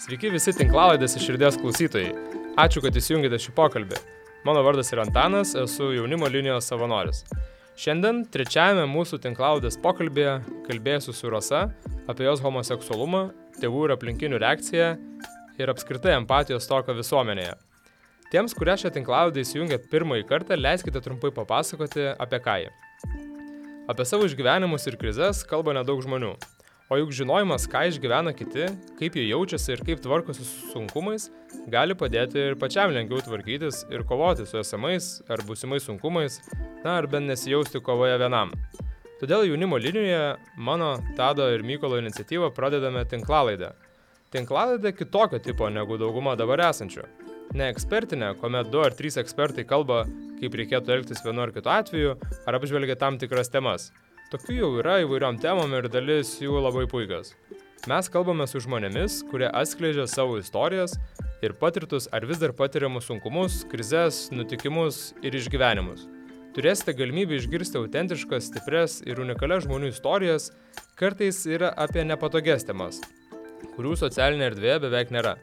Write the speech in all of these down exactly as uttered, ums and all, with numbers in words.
Sveiki visi tinklalaidės iš širdies klausytojai. Ačiū, kad įsijungėte šį pokalbį. Mano vardas yra Antanas, esu jaunimo linijos savanoris. Šiandien trečiajame mūsų tinklalaidės pokalbėje kalbėsiu su Rasa apie jos homoseksualumą, tėvų ir aplinkinių reakciją ir apskritai empatijos stoką visuomenėje. Tiems, kurie šią tinklalaidę įsijungė pirmąjį kartą, leiskite trumpai papasakoti apie ką ji. Apie savo išgyvenimus ir krizes kalba nedaug žmonių. O juk žinojimas, ką išgyvena kiti, kaip jie jaučiasi ir kaip tvarkosi su sunkumais, gali padėti ir pačiam lengviau tvarkytis ir kovoti su esamais ar būsimais sunkumais, na ar bent nesijausti kovoje vienam. Todėl jaunimo linijoje mano, Tado ir Mykolo iniciatyvą pradedame tinklalaidę. Tinklalaidę kitokio tipo negu dauguma dabar esančių. Ne ekspertinė, kuomet du ar trys ekspertai kalba, kaip reikėtų elgtis vienu ar kitu atveju, ar apžvelgia tam tikras temas. Tokių jau yra įvairiom temom ir dalis jų labai puikios. Mes kalbame su žmonėmis, kurie atskleidžia savo istorijas ir patirtus ar vis dar patiriamus sunkumus, krizes, nutikimus ir išgyvenimus. Turėsite galimybę išgirsti autentiškas, stipres ir unikalias žmonių istorijas, kartais yra apie nepatogias temas, kurių socialinė erdvėje beveik nėra.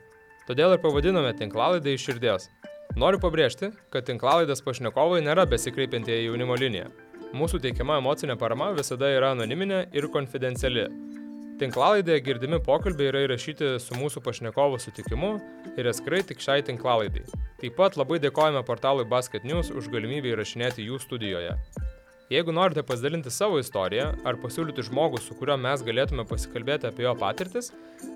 Todėl ir pavadinome tinklalaidę iš širdies. Noriu pabrėžti, kad tinklalaidės pašnekovai nėra besikreipiantieji į jaunimo liniją. Mūsų teikiama emocinė parama visada yra anoniminė ir konfidenciali. Tinklalaidėje girdimi pokalbiai yra įrašyti su mūsų pašnekovo sutikimu ir atskirai tik šiai tinklalaidai. Taip pat labai dėkojame portalui Basket News už galimybę įrašinėti jų studijoje. Jeigu norite pasidalinti savo istoriją ar pasiūlyti žmogų, su kuriuo mes galėtume pasikalbėti apie jo patirtis,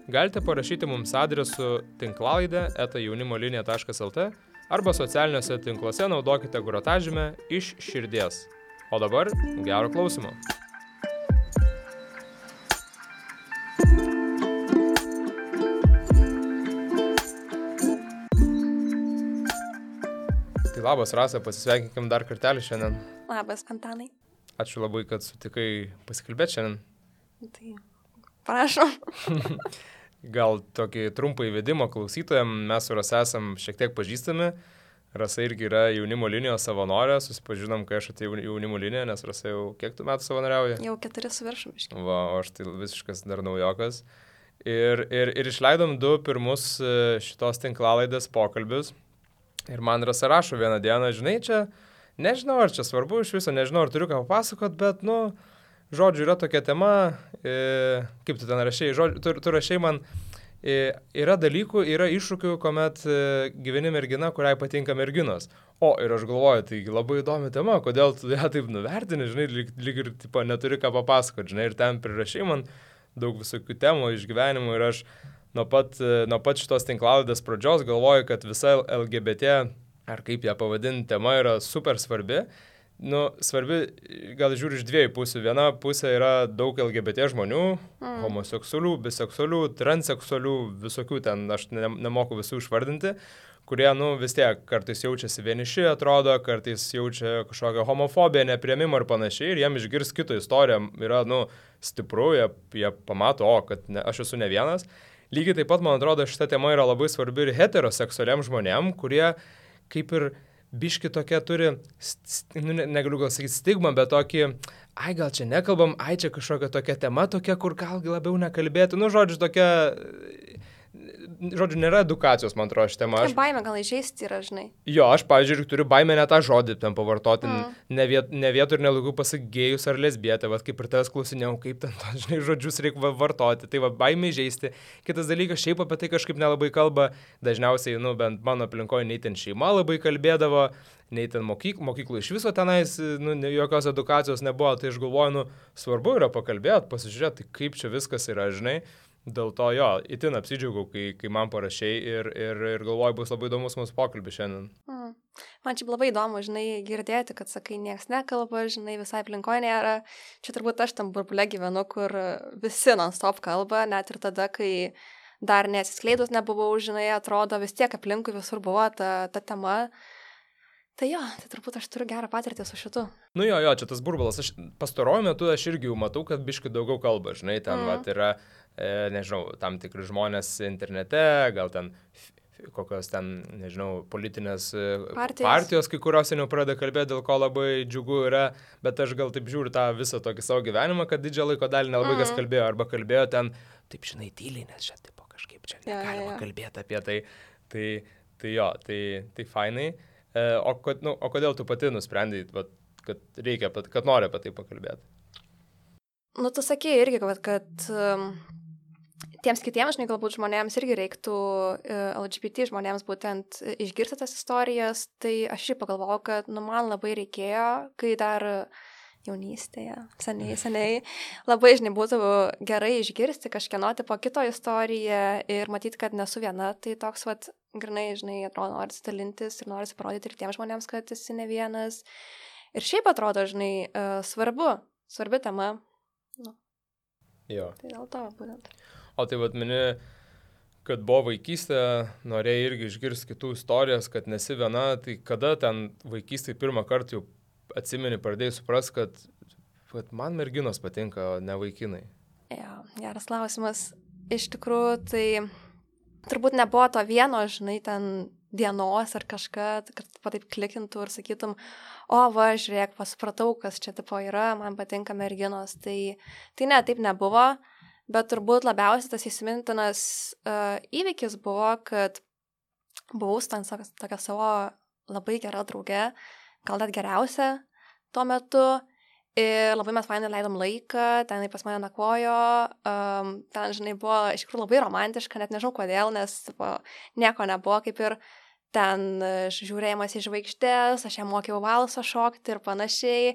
galite parašyti mums adresu tinklalaidė eta jaunimolinija taškas lt arba socialiniuose tinkluose naudokite grotažymę iš širdies. O dabar gero klausimo. Tai labas, Rasa, pasisveikinkim dar kartelį šiandien. Labas, Antanai. Ačiū labai, kad sutikai pasikalbėti šiandien. Tai prašom. Gal tokį trumpą įvedimą klausytojam, mes su Rasa esam šiek tiek pažįstami. Rasa irgi yra jaunimo linijos savanorė, susipažinom, kai aš atėjau jaunimo liniją, nes Rasa jau kiek tu metų savanoriauja? Jau keturi su viršum iškiai. Va, o aš tai visiškas dar naujokas. Ir, ir, ir išleidom du pirmus šitos tinklalaidės pokalbius. Ir man Rasa rašo vieną dieną, žinai, čia, nežinau, ar čia svarbu iš viso, nežinau, ar turiu ką papasakot, bet, nu, žodžiu, yra tokia tema, e, kaip tu ten rašei, žodžiu, tu, tu rašei man, e, yra dalykų, yra iššūkių, kuomet e, gyveni mergina, kuriai patinka merginos. O, ir aš galvoju, tai labai įdomi tema, kodėl tu ją taip nuvertini, žinai, lyg, lyg ir, tipo, neturi ką papasakot, žinai, ir ten prirašai man daug visokių temų, išgyvenimų, ir aš nuo pat, nuo pat šitos tinklalaidės pradžios galvoju, kad visa L G B T, ar kaip ją pavadinti, tema yra super svarbi. Nu, svarbi, gal žiūri iš dviejų pusių. Viena pusė yra daug L G B T žmonių, mm. homoseksualių, biseksualių, transseksualių, visokių ten, aš ne, nemoku visų išvardinti, kurie, nu, vis tiek kartais jaučiasi vieniši, atrodo, kartais jaučia kažkokią homofobiją, nepriėmimą ir panašiai, ir jiem išgirs kito istoriją, yra, nu, stipru, jie, jie pamato, o, kad ne, aš esu ne vienas. Lygiai taip pat, man atrodo, šita tema yra labai svarbi ir heteroseksualiam žmonėm, kurie kaip ir biški tokia turi, st- nu, negaliu gal sakyti stigmą, bet tokį, ai gal čia nekalbam, ai čia kažkokia tokia tema tokia, kur gal labiau nekalbėtų, nu žodžiu tokia, žodžiu nėra edukacijos, man atrodo, ši tema. Aš... Baimė gal įžeisti yra, žinai. Jo, aš, pavyzdžiui, turiu baimę net tą žodį ten pavartoti, mm. ne, viet, ne vietų ir nelaikiu pasakėjus ar lesbietė, va, kaip ir tavęs klausinėjau, kaip ten, žinai, žodžius reikia vartoti, tai va, baimė įžeisti. Kitas dalykas, šiaip apie tai kažkaip nelabai kalba, dažniausiai, nu, bent mano aplinkoje nei ten šeima labai kalbėdavo, nei ten mokyk, mokyklų iš viso tenais, nu, jokios edukacijos nebuvo, tai aš galvoju, nu, svarbu yra pakalbėti, pasižiūrėti, kaip čia viskas yra, žinai. Dėl to jo, itin apsidžiaugiau, kai, kai man parašei ir, ir, ir galvoju, bus labai įdomus mūsų pokalbis šiandien. Mm. Man čia labai įdomu, žinai, girdėti, kad sakai, nieks nekalba, žinai, visai aplinkoje nėra. Čia turbūt aš tam burbule gyvenu, kur visi non-stop kalba, net ir tada, kai dar nesiskleidus nebuvau, žinai, atrodo, vis tiek aplinkui visur buvo ta, ta tema. Tai jo, tai turbūt aš turiu gerą patirtį su šitu. Nu jo, jo, čia tas burbulas. Aš pastaruoju metu aš irgi jau matau, kad biškai daugiau kalba, žinai, ten mm. vat, yra, e, nežinau, tam tikri žmonės internete, gal ten f- kokios ten, nežinau, politinės partijos, partijos kai kurios jau pradeda kalbėti, dėl ko labai džiugu yra, bet aš gal taip žiūriu tą visą tokį savo gyvenimą, kad didžią laiko dalį nelabai mm. kas kalbėjo, arba kalbėjo ten, taip žinai, tyliai, nes čia tipo kažkas kažkaip čia Ja, negalima ja, ja. kalbėti apie tai. Tai, tai jo, tai, tai fainai. E, o, kod, nu, o kodėl tu pati nusprendai, vat, kad reikia, kad nori apie tai pakalbėti? Nu, tu sakei irgi, kad, kad um, tiems kitiems, žinai, galbūt žmonėms irgi reiktų uh, L G B T žmonėms būtent išgirsti tas istorijas, tai aš ir pagalvojau, kad, nu, man labai reikėjo, kai dar jaunystėje, seniai, seniai, labai, žinai, būtų gerai išgirsti kažkieno tipo kito istoriją ir matyti, kad nesu viena, tai toks, vat, grinai, žinai, atrodo, nori dalintis ir nori parodyti ir tiems žmonėms, kad esi ne vienas. Ir šiaip atrodo, žinai, uh, svarbu, svarbi tema. Nu. Jo. Tai dėl to būtent. O tai vat mini, kad buvo vaikystė, norėjai irgi išgirsti kitų istorijas, kad nesi viena, tai kada ten vaikystėje pirmą kartą jau atsimeni, pradėjai supras, kad, kad man merginos patinka, o ne vaikinai? Jo, geras klausimas. Iš tikrųjų, tai turbūt nebuvo to vieno, žinai, ten dienos ar kažką, kad taip klikintų ir sakytum, o va, žiūrėk, pasupratau, kas čia tipo yra, man patinka merginos. Tai, tai ne, taip nebuvo, bet turbūt labiausiai tas įsimintinas uh, įvykis buvo, kad buvau ten tokia savo labai gera draugė, gal net geriausia tuo metu. Ir labai mes fainai leidom laiką, ten pas mane nakvojo, um, ten, žinai, buvo iš tikrųjų labai romantiška, net nežinau kodėl, nes tipo, nieko nebuvo, kaip ir ten žiūrėjimas į žvaigždės, aš ją mokiau valsą šokti ir panašiai.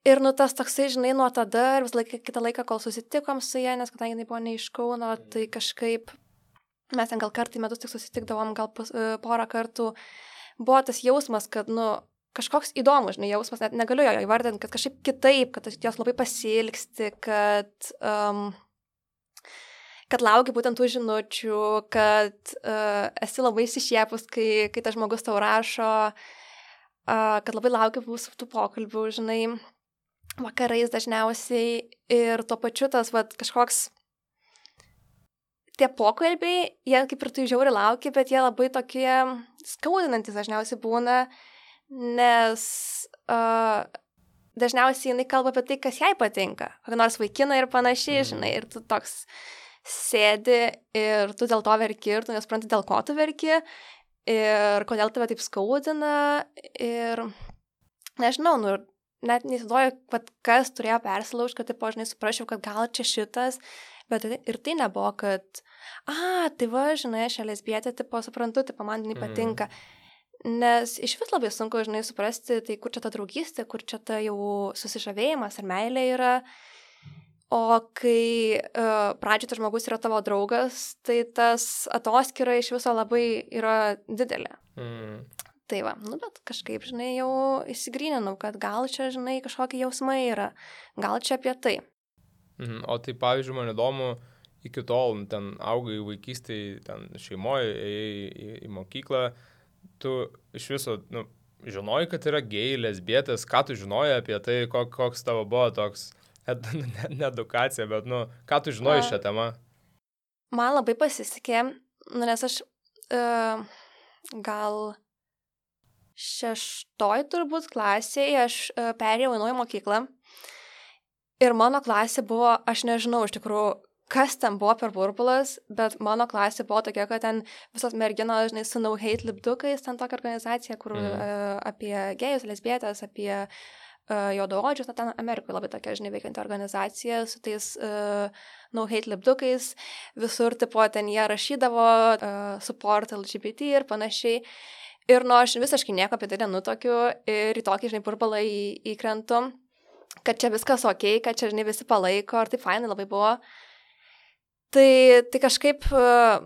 Ir nu tas toksai, žinai, nuo tada ir vis laiką, kitą laiką, kol susitikom su ją, nes kadangi jinai buvo ne iš Kauno, tai kažkaip mes ten gal kartą į metus tik susitikdavom, gal pus, porą kartų. Buvo tas jausmas, kad, nu, kažkoks įdomus, žinai, jausmas, net negaliu jo įvardinti, kad kažkaip kitaip, kad jos labai pasilgsti, kad, um, kad lauki būtent tų žinučių, kad uh, esi labai išsišiepus, kai, kai tas žmogus tau rašo, uh, kad labai lauki mūsų tų pokalbių, žinai, vakarais dažniausiai ir tuo pačiu tas, vat, kažkoks tie pokalbiai, jie kaip ir tu žiauri lauki, bet jie labai tokie skaudinantis dažniausiai būna, nes uh, dažniausiai jinai kalba apie tai, kas jai patinka, kokį nors vaikiną ir panašiai, žinai, ir tu toks sėdi ir tu dėl to verki ir tu nesupranti, dėl ko tu verki ir kodėl tave taip skaudina ir nežinau, nu, net neįsivaizduoju, kas turėjo persilaužti, kad, taip, žinai, suprasčiau, kad gal čia šitas, bet ir tai nebuvo, kad, a, tai va, žinai, aš lesbietė, tipo, suprantu, tipo, man jinai patinka. Nes iš vis labai sunku, žinai, suprasti, tai kur čia ta draugystė, kur čia ta jau susižavėjimas ar meilė yra. O kai uh, pradžioje tas žmogus yra tavo draugas, tai tas atoskyra iš viso labai yra didelė. Mm. Tai va, nu bet kažkaip, žinai, jau įsigryninau, kad gal čia, žinai, kažkokie jausmai yra, gal čia apie tai. Mm. O tai, pavyzdžiui, man įdomu, iki tol ten augai vaikystėje, ten šeimoje, ėjai į, į mokyklą, tu iš viso, nu, žinojai, kad yra gėjai, lesbietės, ką tu žinojai apie tai, kok, koks tavo buvo toks, ne, ne edukacija, bet, nu, ką tu žinojai šią temą? Man labai pasisekė, nu, nes aš uh, gal šeštoj turbūt klasėje aš uh, perėjau į naują mokyklą ir mano klasė buvo, aš nežinau iš tikrųjų, kas ten buvo per burbulas, bet mano klasė buvo tokia, kad ten visos merginos, žinai, su No Hate lipdukais, ten tokia organizacija, kur mm. uh, apie gėjus, lesbietės, apie uh, juodaodžius, na, ten Amerikoje labai tokia, žinai, veikianti organizacija su tais uh, No Hate lipdukais, visur, tipo, ten jie rašydavo uh, support L G B T ir panašiai. Ir nu, aš visiškai nieko apie tai nenutokiu ir į tokį, žinai, burbulą į, įkrentu, kad čia viskas okei, okay, kad čia, žinai, visi palaiko, ir tai fainai labai buvo. Tai, tai kažkaip uh,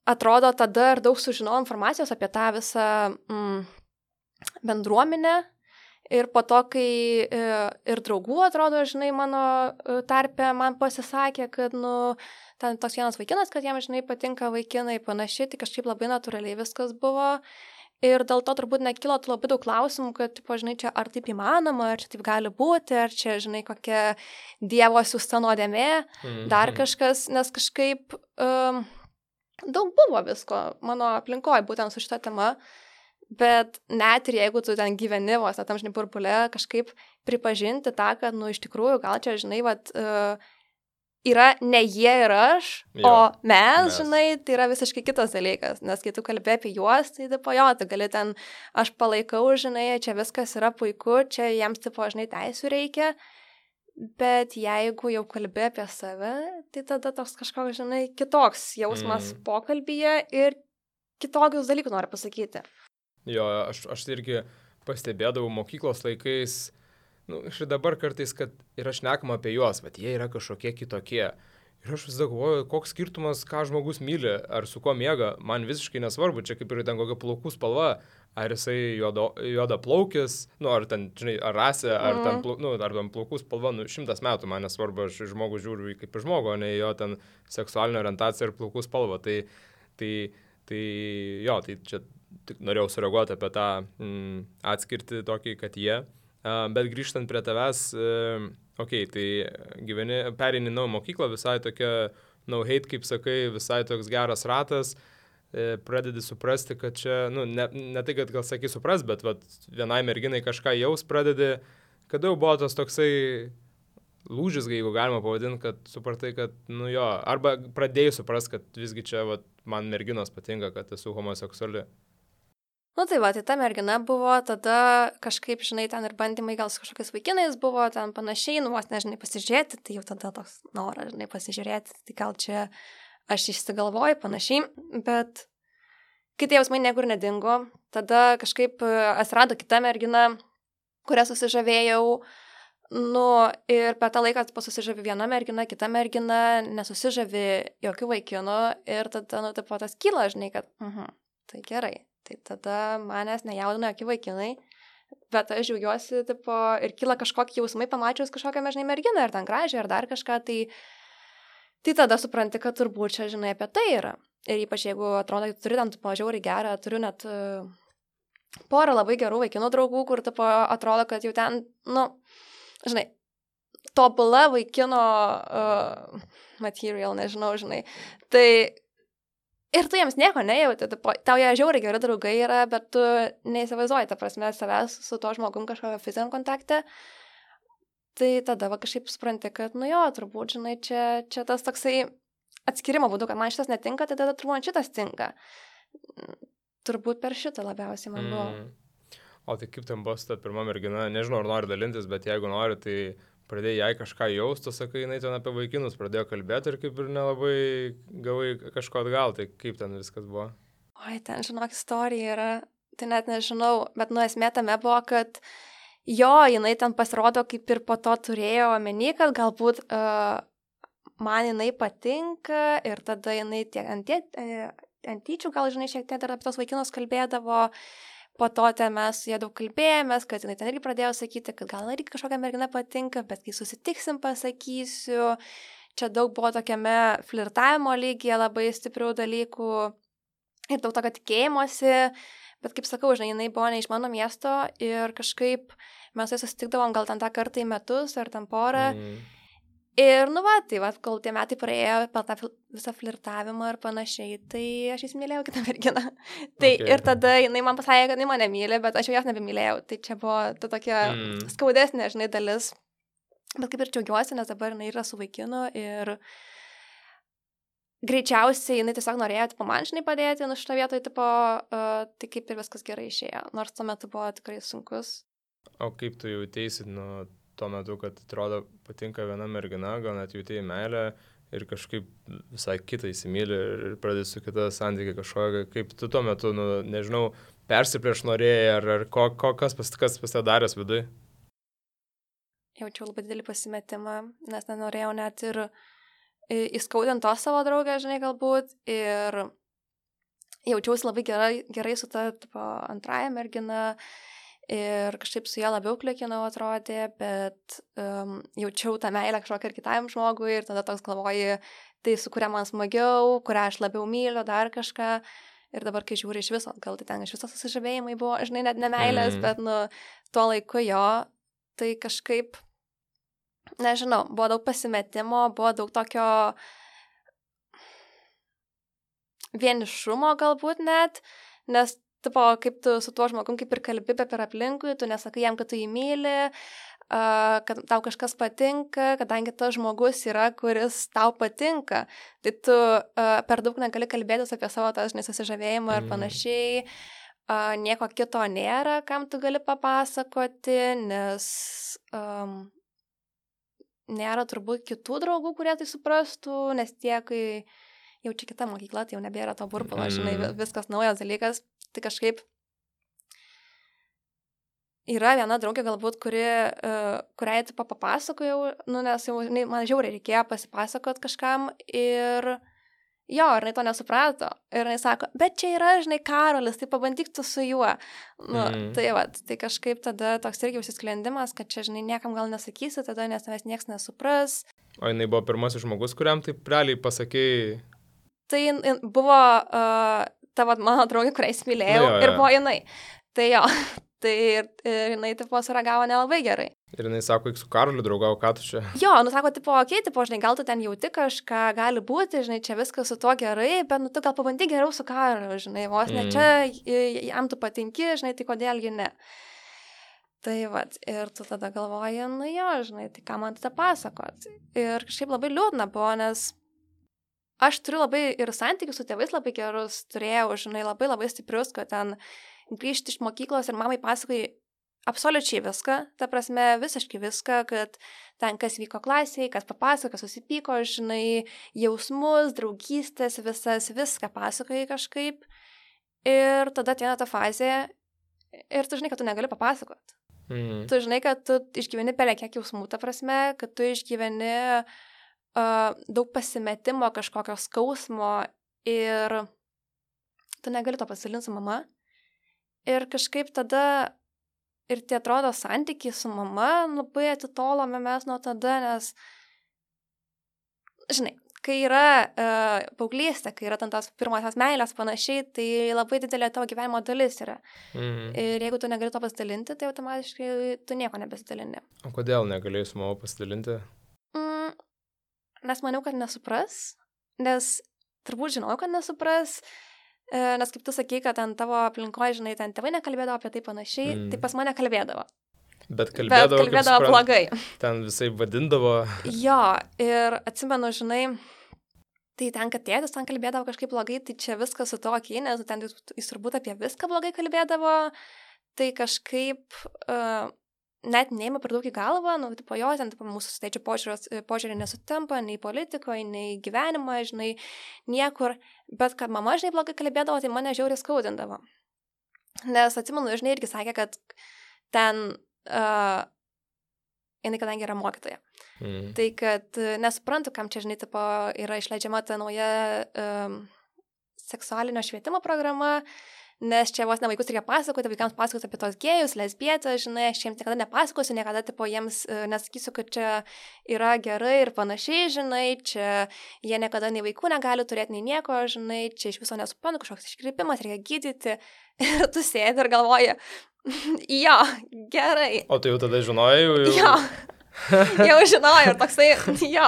atrodo tada ir daug sužinojau informacijos apie tą visą mm, bendruomenę ir po to, kai uh, ir draugų atrodo, žinai, mano tarpe man pasisakė, kad, nu, ten toks vienas vaikinas, kad jam, žinai, patinka vaikinai panašiai, tai kažkaip labai natūraliai viskas buvo. Ir dėl to turbūt nekilo labai daug klausimų, kad, tipo, žinai, čia ar taip įmanoma, ar čia taip gali būti, ar čia, žinai, kokia dievo siųsta nuodėmė, mm-hmm. dar kažkas, nes kažkaip um, daug buvo visko mano aplinkoje būtent su šita tema, bet net ir jeigu tu ten gyveni vos, tam, žinai, burbule, kažkaip pripažinti tą, kad, nu, iš tikrųjų, gal čia, žinai, vat, uh, yra ne jie ir aš, Jo, o mes, mes. žinai, tai yra visiškai kitas dalykas, nes kai tu kalbė apie juos, tai tipo jo, tu gali ten, aš palaikau, žinai, čia viskas yra puiku, čia jiems tipo, žinai, teisų reikia, bet jeigu jau kalbė apie save, tai tada toks kažkoks, žinai, kitoks jausmas Mm. pokalbyje ir kitokius dalykus noriu pasakyti. Jo, aš, aš tai irgi pastebėdavau mokyklos laikais, nu, ir dabar kartais, kad yra šnekama apie juos, bet jie yra kažkokie kitokie. Ir aš visada galvoju, koks skirtumas, ką žmogus myli, ar su kuo miega, man visiškai nesvarbu, čia kaip ir ten kokia plaukų spalva, ar jisai juodo, juoda plaukis, nu, ar ten, žinai, ar rasė, ar, Mhm. ten, plau- nu, ar ten plaukų spalva, nu, šimtas metų man nesvarbu, aš į žmogų žiūriu kaip į žmogų, o ne į jo ten seksualinę orientaciją ir plaukų spalvą. Tai, tai, tai jo, tai čia tik norėjau sureaguoti apie tą mm, atskirti tokį, kad jie. Uh, bet grįžtant prie tavęs, uh, okei, okay, tai gyveni, perini naują mokyklą, visai tokia no hate, kaip sakai, visai toks geras ratas, uh, pradedi suprasti, kad čia, nu, ne, ne tai, kad gal sakai supras, bet vat, vienai merginai kažką jaus pradedi, kada jau buvo tas toksai lūžis, jeigu galima pavadinti, kad supratai, kad, nu jo, arba pradėjai supras, kad visgi čia vat, man merginos patinka, kad esu homoseksuali. Nu tai va, tai ta mergina buvo, tada kažkaip, žinai, ten ir bandymai gal su kažkokiais vaikinais buvo, ten panašiai, nu vos nežinai pasižiūrėti, tai jau tada toks noras, žinai, pasižiūrėti, tai gal čia aš išsigalvoju panašiai, bet kai tie jausmai niekur nedingo, tada kažkaip atsirado kita mergina, kurią susižavėjau, nu ir per tą laiką susižavi viena mergina, kita mergina, nesusižavi jokių vaikinų ir tada, nu, taip tas kyla, žinai, kad, mhm, tai gerai. Tai tada manęs nejaudina jokie vaikinai, bet aš žiaugiuosi, tipo, ir kyla kažkokie jausmai, pamačius kažkokią, žinai, merginą, ar ten gražią, ar dar kažką, tai, tai tada supranti, kad turbūt čia, žinai, apie tai yra. Ir ypač jeigu atrodo, kad turi ten, tipo, žiauriai gerą, turiu net uh, porą labai gerų vaikinų draugų, kur, tipo, atrodo, kad jau ten, nu, žinai, tobula vaikino uh, material, nežinau, žinai. Tai ir tu jiems nieko nejauti, tau jie žiauriai geri draugai yra, bet tu neįsivaizduoji, ta prasme, savęs su tuo žmogum kažkokio fiziniam kontakte. Tai tada va kažkaip supranti, kad, nu jo, turbūt, žinai, čia, čia tas toksai atskirimo būdu, kad man šitas netinka, tai tada turbūt man šitas tinka. Turbūt per šitą labiausiai man buvo. Mm. O tai kaip ten buvo su ta pirma mergina, nežinau, ar nori dalintis, bet jeigu nori, tai pradėjai jai kažką jausti, sakai, jinai ten apie vaikinus pradėjo kalbėti ir kaip ir nelabai gavai kažko atgal, tai kaip ten viskas buvo? Oi, ten, žinok, istorija yra, tai net nežinau, bet nu esmė tame buvo, kad jo, jinai ten pasirodo kaip ir po to turėjo omeny, kad galbūt uh, man jinai patinka ir tada jinai tiek ant, ant tyčių, gal žinai, šiek tiek dar apie tos vaikinus kalbėdavo. Po to ten mes su jie daug kalbėjomės, kad jinai ten irgi pradėjo sakyti, kad gal irgi kažkokia mergina patinka, bet kai susitiksim pasakysiu. Čia daug buvo tokiame flirtavimo lygyje labai stiprių dalykų ir daug tokio tikėjimuose. Bet kaip sakau, žinai, jinai buvo ne iš mano miesto ir kažkaip mes tai susitikdavom gal ten tą kartą į metus ar ten porą. Mm. Ir nu va, tai va, kol tie metai praėjo per tą visą flirtavimą ir panašiai, tai aš įsimylėjau kitą merginą. Tai okay. Ir tada jinai man pasakė, kad jinai mane myli, bet aš jau jos nebemylėjau. Tai čia buvo ta tokia mm. skaudesnė, žinai, dalis. Bet kaip ir džiaugiuosi, nes dabar jinai yra su vaikinu ir greičiausiai jinai tiesiog norėjo, tipo, man žinai padėti, nu šitą vietoj, tipo, uh, tai kaip ir viskas gerai išėjo. Nors tuo metu buvo tikrai sunkus. O kaip tu jautėsi, nu, tuo metu, kad atrodo patinka viena mergina, gal net jautėjai meilę ir kažkaip visai kitą įsimylį ir pradėjai su kita santykiai kažkokia, kaip tu tuo metu, nu, nežinau, persiprieš norėjai ar, ar ko, ko, kas, pas, kas pasidaręs vidui? Jaučiau labai didelį pasimetimą, nes nenorėjau net ir įskaudinti to savo draugę, žinai, galbūt, ir jaučiausi labai gerai, gerai su ta tipo, antraja mergina, ir kažkaip su ją labiau klikinau atrodė, bet um, jaučiau tą meilę kažkokią ir kitam žmogui ir tada toks galvoji, tai su kuria man smagiau, kurią aš labiau myliu, dar kažką. Ir dabar, kai žiūri iš viso, gal tai ten iš viso susižavėjimai buvo, žinai, net ne meilės, mm. bet nu, tuo laiku jo, tai kažkaip, nežinau, buvo daug pasimetimo, buvo daug tokio vienišumo galbūt net, nes tipo, kaip tu su tuo žmogum kaip ir kalbi, bet per aplinkui, tu nesakai jam, kad tu jį myli, kad tau kažkas patinka, kadangi tas žmogus yra, kuris tau patinka. Tai tu per daug negali kalbėtis apie savo tas nesusižavėjimą ir panašiai. Nieko kito nėra, kam tu gali papasakoti, nes um, nėra turbūt kitų draugų, kurie tai suprastų, nes tie, kai jau čia kita mokykla, tai jau nebėra to burbulo, žinai, viskas naujas dalykas. Tai kažkaip yra viena draugė galbūt, kuri, uh, kuriai tipo papasakojau, nu, nes jau žinai, man žiauriai reikėjo pasipasakot kažkam ir jo, ir jinai to nesuprato. Ir jinai sako, bet čia yra, žinai, Karolis, tai pabandyk tu su juo. Nu, mm. Tai va, tai kažkaip tada toks irgi užsisklendimas, kad čia, žinai, niekam gal nesakysi tada, nes tavęs nieks nesupras. O jinai buvo pirmasis žmogus, kuriam taip realiai pasakėjai? Tai buvo uh, tavo mano draugė, kurią įsimylėjau, no, jo, ir buvo jinai. Tai jo, tai ir, ir jinai, tipo, suragavo nelabai gerai. Ir jinai sako, eik su Karoliu draugau, ką tu čia? Jo, nu sako, tipo, okei, okay, tipo, žinai, gal tu ten jauti kažką, gali būti, žinai, čia viskas su tuo gerai, bet, nu, tu gal pabandyk geriau su Karoliu, žinai, vos ne, mm. čia jam tu patinki, žinai, tai kodėlgi ne. Tai vat, ir tu tada galvoji, nu jo, žinai, tai ką man tada pasakot. Ir kažkaip labai liūdna buvo, nes aš turiu labai ir santykius su tėvais labai gerus, turėjau, žinai, labai labai stiprius, kad ten grįžti iš mokyklos ir mamai pasakai absoliučiai viską, ta prasme, visiškai viską, kad ten kas vyko klasėje, kas papasako, kas susipyko, žinai, jausmus, draugystės, visas, viską pasakoji kažkaip. Ir tada ateina ta fazė ir tu žinai, kad tu negali papasakot. Mm. Tu žinai, kad tu išgyveni pelė kiek jausmų, ta prasme, kad tu išgyveni uh, daug pasimetimo, kažkokio skausmo ir tu negali to pasidalinti su mama. Ir kažkaip tada ir tai atrodo santykiai su mama labai atitolome mes nuo tada, nes, žinai, kai yra uh, paauglystė, kai yra ten tos pirmosios meilės panašiai, tai labai didelė tavo gyvenimo dalis yra. Mhm. Ir jeigu tu negali to pasidalinti, tai automatiškai tu nieko nebesidalini. O kodėl negalėjai su mama pasidalinti? Mm, nes maniau, kad nesupras, nes turbūt žinau, kad nesupras, nes kaip tu sakai, kad ten tavo aplinkoje, žinai, ten tėvai nekalbėdavo apie tai panašiai, mm. tai pas mane kalbėdavo. Bet kalbėdavo, Bet kalbėdavo kaip blogai. Ten visai vadindavo. Jo, ir atsimenu, žinai, tai ten, kad tėtis ten kalbėdavo kažkaip blogai, tai čia viskas su to okei, nes ten jis turbūt apie viską blogai kalbėdavo, tai kažkaip uh, net neima per daug į galvą, nu, tipo jo, ten tipo, mūsų su tėčiu požiūrį nesutampa, nei politikoje, nei gyvenimą, žinai, niekur, bet kad mama, žinai, blogai kalbėdavo, tai mane žiauriai skaudindavo. Nes atsimenu, žinai, irgi sakė, kad ten, uh, jinai kadangi yra mokytoja, mm. tai kad uh, nesuprantu, kam čia, žinai, tipo, yra išleidžiama ta nauja um, seksualinio švietimo programa, nes čia vos ne vaikus reikia pasakoti, vaikams pasakoti apie tos gėjus, lesbietės, žinai, aš jiems niekada nepasakosiu, niekada, tipo, jiems uh, nesakysiu, kad čia yra gerai ir panašiai, žinai, čia jie niekada nei vaikų negali turėti, nei nieko, žinai, čia iš viso nesuprantu, kažkoks iškreipimas, reikia gydyti ir tu sėdi ir galvoji, jo, gerai. O tu jau tada žinojai? Jau... Jo. Jau žinojau ir toksai, jo,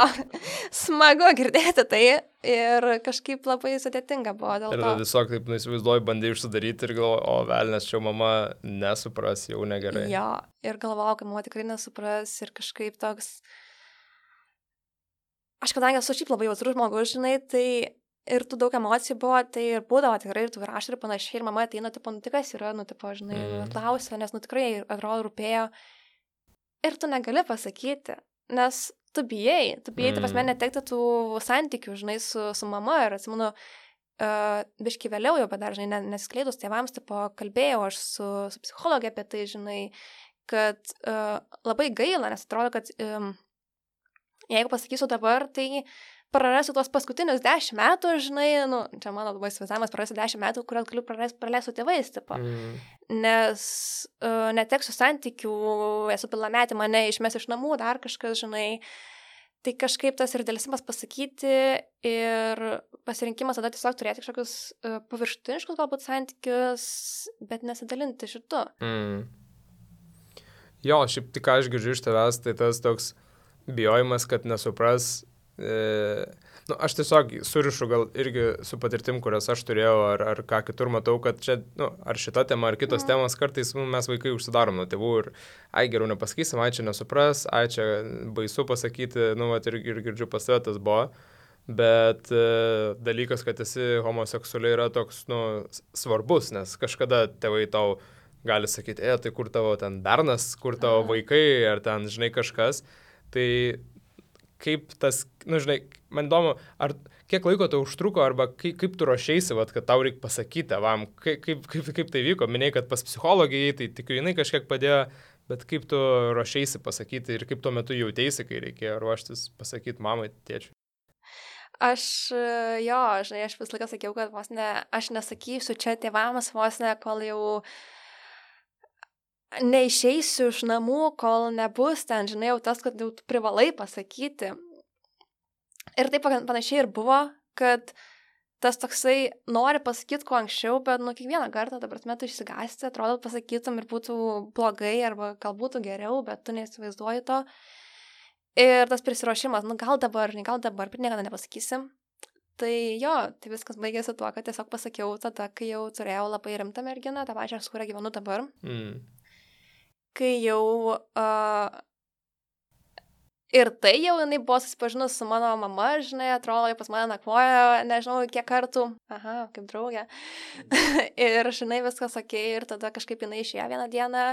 smagu girdėti tai ir kažkaip labai sudėtinga buvo dėl to. Ir tiesiog taip neįsivaizduoju, bandai užsidaryti ir galvoju, o velnės, čia mama nesupras, jau negerai. Jo, ir galvojau, kad mama tikrai nesupras ir kažkaip toks, aš kadangi esu šiaip labai jautrus žmogus, žinai, tai ir tų daug emocijų buvo, tai ir būdavo tikrai, ir tų raštų ir panašiai, ir mama ateina, tipo, nu tikas yra, nu, tipo, žinai, mm. klausia, nes, nu, tikrai, atrodo, rūpėjo. Ir tu negali pasakyti, nes tu bijai, tu bijai, mm. tai pas mane netekti tų santykių, žinai, su, su mama. Ir atsimenu, uh, biškai vėliau jau, bet dar, žinai, nesiskleidus tėvams, tipo, kalbėjau aš su, su psichologė apie tai, žinai, kad uh, labai gaila, nes atrodo, kad um, jeigu pasakysiu dabar, tai prarasiu tuos paskutinius dešimt metų, žinai, nu, čia mano labai įsivaizdavimas, prarasiu dešimt metų, kuriuos galiu praleisti su tėvais, tipo. Mm. Nes uh, neteksiu santykių, esu pilnametė, mane išmes iš namų, dar kažkas, žinai. Tai kažkaip tas ir dėlsimas pasakyti ir pasirinkimas tada tiesiog turėti kažkokius uh, paviršutiniškus galbūt santykius, bet nesidalinti šitu. Mm. Jo, šiaip tik ką aš girdžiu iš tavęs, tai tas toks bijojimas, kad nesupras, E, nu, aš tiesiog surišu gal irgi su patirtim, kurias aš turėjau, ar, ar ką kitur matau, kad čia, nu, ar šita tema, ar kitos mm. temos, kartais nu, mes vaikai užsidarom nuo tėvų ir, ai, geriau nepasakysim, ai, čia nesupras, ai, čia baisu pasakyti, nu, vat, ir, ir girdžiu pas tave tas buvo. Bet e, dalykas, kad esi homoseksualiai yra toks, nu, svarbus, nes kažkada tėvai tau gali sakyti, e, tai kur tavo ten bernas, kur tavo vaikai, ar ten, žinai, kažkas. Tai kaip tas, nu, žinai, man įdomu, ar kiek laiko tau užtruko, arba kaip, kaip tu ruošeisi, vat, kad tau reikia pasakyti tėvam, kaip, kaip, kaip, kaip tai vyko, minėjai, kad pas psichologijai, tai tikrai jinai kažkiek padėjo, bet kaip tu ruošeisi pasakyti ir kaip tuo metu jauteisi, kai reikėjo ruoštis pasakyti mamai, tėčiui. Aš, jo, žinai, aš vis laiką sakiau, kad vos ne, aš nesakysiu čia tėvams vos ne, kol jau neišeisiu iš namų, kol nebus ten, žinai, jau tas, kad jau privalai pasakyti. Ir taip panašiai ir buvo, kad tas toksai nori pasakyti kuo anksčiau, bet nu kiekvieną kartą, dabar metu išsigąsti, atrodo pasakytum ir būtų blogai, arba gal būtų geriau, bet tu neįsivaizduoji to. Ir tas prisiruošimas, nu gal dabar, ne gal dabar, bet niekada nepasakysim. Tai jo, tai viskas baigėsi tuo, kad tiesiog pasakiau tada, kai jau turėjau labai rimtą merginą, tą pačią, su kuria gyvenu dabar. Mm. Kai jau uh, ir tai jau jinai buvo susipažinus su mano mama, žinai, atrodo, jau pas mane nakvojo, nežinau, kiek kartų, aha, kaip draugė. Ir, žinai, viskas okei, ir tada kažkaip jinai išėjo vieną dieną.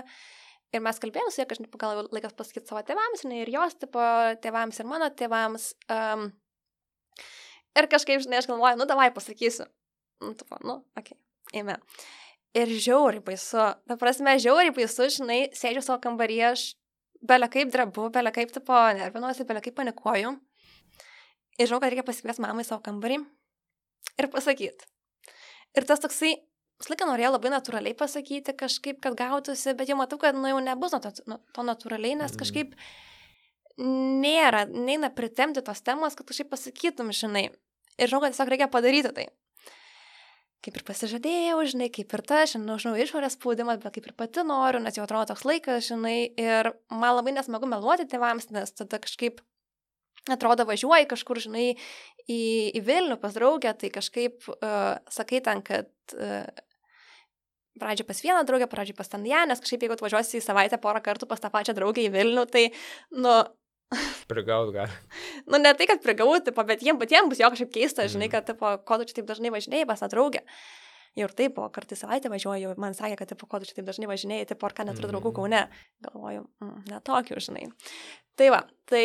Ir mes kalbėjome su jie, kažkaip gal laikas pasakyti savo tėvams, žinai, ir jos tipo tėvams, ir mano tėvams. Um, ir kažkaip, žinai, aš galvoju, nu, davai pasakysiu. Nu, tipo, nu, okei, okay, eime. Ir žiauriai baisu. Ta prasme, žiauriai baisu, žinai, sėdžiu savo kambaryje, aš belia kaip drebu, belia kaip, tipo, nervinuosi, belia kaip panikuoju. Ir žinau, kad reikia pasikviesti mamai savo kambarį ir pasakyti. Ir tas toksai, visą laiką norėjau labai natūraliai pasakyti kažkaip, kad gautųsi, bet jau matau, kad nu, jau nebus to, to natūraliai, nes kažkaip nėra, neina pritemti tos temos, kad kažkaip pasakytum, žinai. Ir žinau, kad tiesiog reikia padaryti tai. Kaip ir pasižadėjau, žinai, kaip ir ta, žinau, žinau, išorės spaudimas, bet kaip ir pati noriu, nes jau atrodo toks laikas, žinai, ir man labai nesmagu meluoti tėvams, nes tada kažkaip atrodo važiuoji kažkur, žinai, į, į Vilnių pas draugę, tai kažkaip uh, sakai ten, kad uh, pradžiai pas vieną draugę, pradžiai pas ten ją, nes kažkaip jeigu atvažiuosi į savaitę porą kartų pas tą pačią draugę į Vilnių, tai, nu... Prigaut gali. Nu, ne tai, kad prigaut, tipo, bet jiems patiems bus jo kažkaip keista, žinai, kad, tipo, ko tu čia taip dažnai važinėjai pas tą draugę. Jau ir taip, po kartą savaitę važiuoju, man sakė, kad, tipo, ko tu čia taip dažnai važinėjai, tipo, ar ką neturiu draugų Kaune. Galvoju, mm, netokių, žinai. Tai va, tai...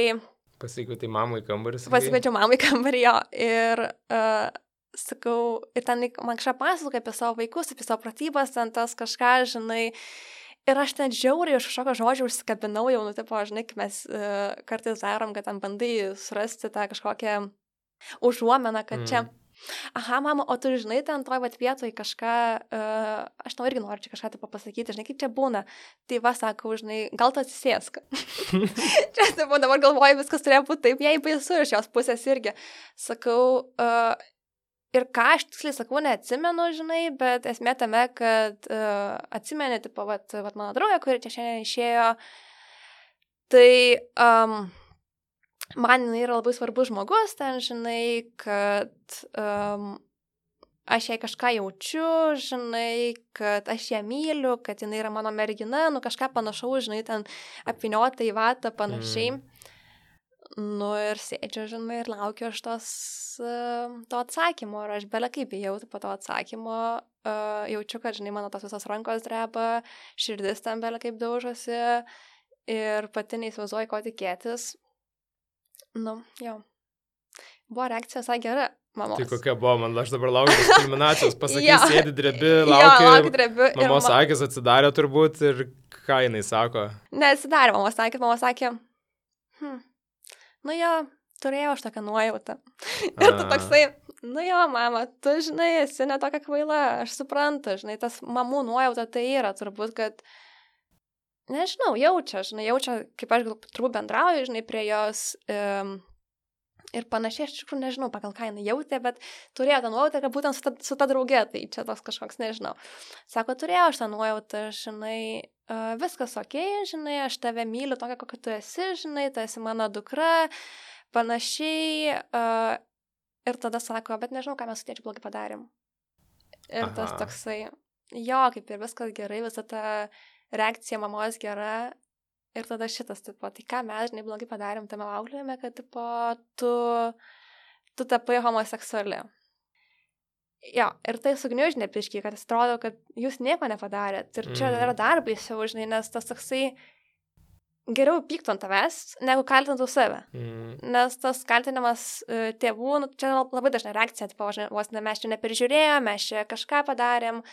Pasikvietei mamai kambarį. Pasikviečiau mamai kambarį, jo. Ir... Uh, sakau, ir ten man kažką pasakoja apie savo vaikus, apie savo pratybas, ten tas kažką, žinai, ir aš ten žiauriai iš kažkokio žodžio užsikabinau jau, nu, tipo, žinai, kai mes uh, kartais darom, kad ten bandai surasti tą kažkokią užuomeną, kad mm. čia, aha, mama, o tu žinai, ten toj vat vietoj kažką, uh, aš tau irgi noriu čia kažką tipo pasakyti, žinai, kaip čia būna. Tai va, sakau, žinai, gal tu atsisėsk. Čia, tipo, dabar galvoju, viskas turėjo būti taip, jei baisu iš jos pusės irgi. Sakau, uh, ir ką aš tiksliai sakau, neatsimenu, žinai, bet esmė tame, kad uh, atsimeni, tipo, vat, vat mano draugė, kuri čia šiandien išėjo, tai um, man jinai yra labai svarbus žmogus, ten, žinai, kad um, aš jai kažką jaučiu, žinai, kad aš ją myliu, kad jinai yra mano mergina, nu kažką panašaus, žinai, ten apvyniota į vatą, panašiai. Mm. Nu ir sėdžiu, žinai, ir laukiu aš tos, uh, to atsakymo, ir aš belia kaip bijau po to atsakymo, uh, jaučiu, kad, žinai, mano tos visos rankos dreba, širdis ten belia kaip daužosi, ir pati neįsivaizduoju, ko tikėtis. Nu, jau. Buvo reakcija visai gera, mamos. Tai kokia buvo, man aš dabar laukiu diskriminacijos, pasakai, sėdi drebi, laukiu, laukiu drebi, mamos ma... akis atsidarė turbūt, ir ką jinai sako? Neatsidarė, mamos akis, mamos sakė, hm. Nu jo, turėjau aš tokią nuojautą. Ir tu toksai, nu jo, mama, tu, žinai, esi ne tokia kvaila, aš suprantu, žinai, tas mamų nuojauta tai yra turbūt, kad, nežinau, jaučia, žinai, jaučia, kaip aš turbūt bendrauju, žinai, prie jos um, ir panašiai, aš tikrųjų nežinau, pagal ką jinai jautė, bet turėjo tą nuojautą, kad būtent su ta, su ta draugė, tai čia toks kažkoks, nežinau. Sako, turėjau aš tą nuojautą, žinai, Uh, viskas okei, žinai, aš tave myliu tokia, kokia tu esi, žinai, tu esi mano dukra, panašiai uh, ir tada sako, bet nežinau, ką mes su tėčiu blogai padarėm. Ir Aha. tas toksai, jo, kaip ir viskas gerai, visa ta reakcija mamos gera. Ir tada šitas, tipo, tai ką mes, žinai, blogai padarėm tame auklėjime, kad, tipo, tu, tu tapai homoseksuali. Jo, ir tai sugniužnė piškiai, kad jis atrodo, kad jūs nieko nepadarėt. Ir čia mm. yra dar baisiau, žinai, nes tas toksai geriau pyktų ant tavęs, negu kaltintų save. Mm. Nes tas kaltinimas uh, tėvų, nu, čia labai dažna reakcija, tipo, vos ne, mes čia neperžiūrėjom, mes čia kažką padarėm.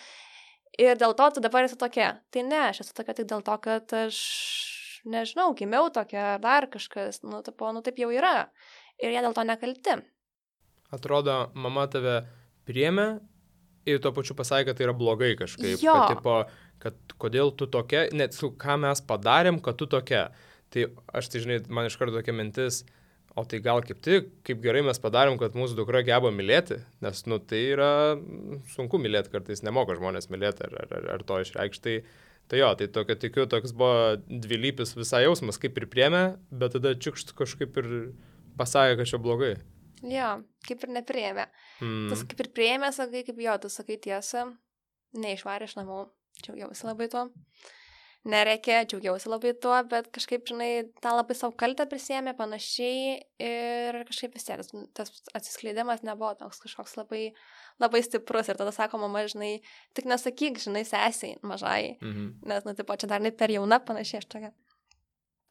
Ir dėl to tu dabar esi tokia. Tai ne, aš esu tokia tik dėl to, kad aš, nežinau, gimiau tokia, dar kažkas, nu, tipo, nu, taip jau yra. Ir jie dėl to nekalti. Atrodo, mama tave priėmė ir tuo pačiu pasakė, kad tai yra blogai kažkaip. Jo. Kad, tipo, kad kodėl tu tokia, net su ką mes padarėm, kad tu tokia. Tai aš tai, žinai, man iš karto tokia mintis, o tai gal kaip tik, kaip gerai mes padarėm, kad mūsų dukra geba mylėti, nes, nu, tai yra sunku mylėti, kartais nemoka žmonės mylėti ar, ar, ar to išreikšti. Tai, tai jo, tai tokio tikiu, toks buvo dvilypis visai jausmas, kaip ir priėmė, bet tada čiukšt kažkaip ir pasakė, kad čia blogai. Jo, kaip ir nepriėmė. Mm. Tas kaip ir priėmė, sakai, kaip jo, tu sakai tiesą, neišvarė iš namų, džiaugiausi labai tuo. Nereikia, džiaugiausi labai tuo, bet kažkaip, žinai, tą labai savo kaltę prisėmė panašiai ir kažkaip vis tiek tas atsiskleidimas nebuvo toks kažkoks labai, labai stiprus. Ir tada sako, mama, žinai, tik nesakyk, žinai, sesiai mažai, mm-hmm. nes, nu, tipo, čia dar ne per jauna panašiai aš tokia.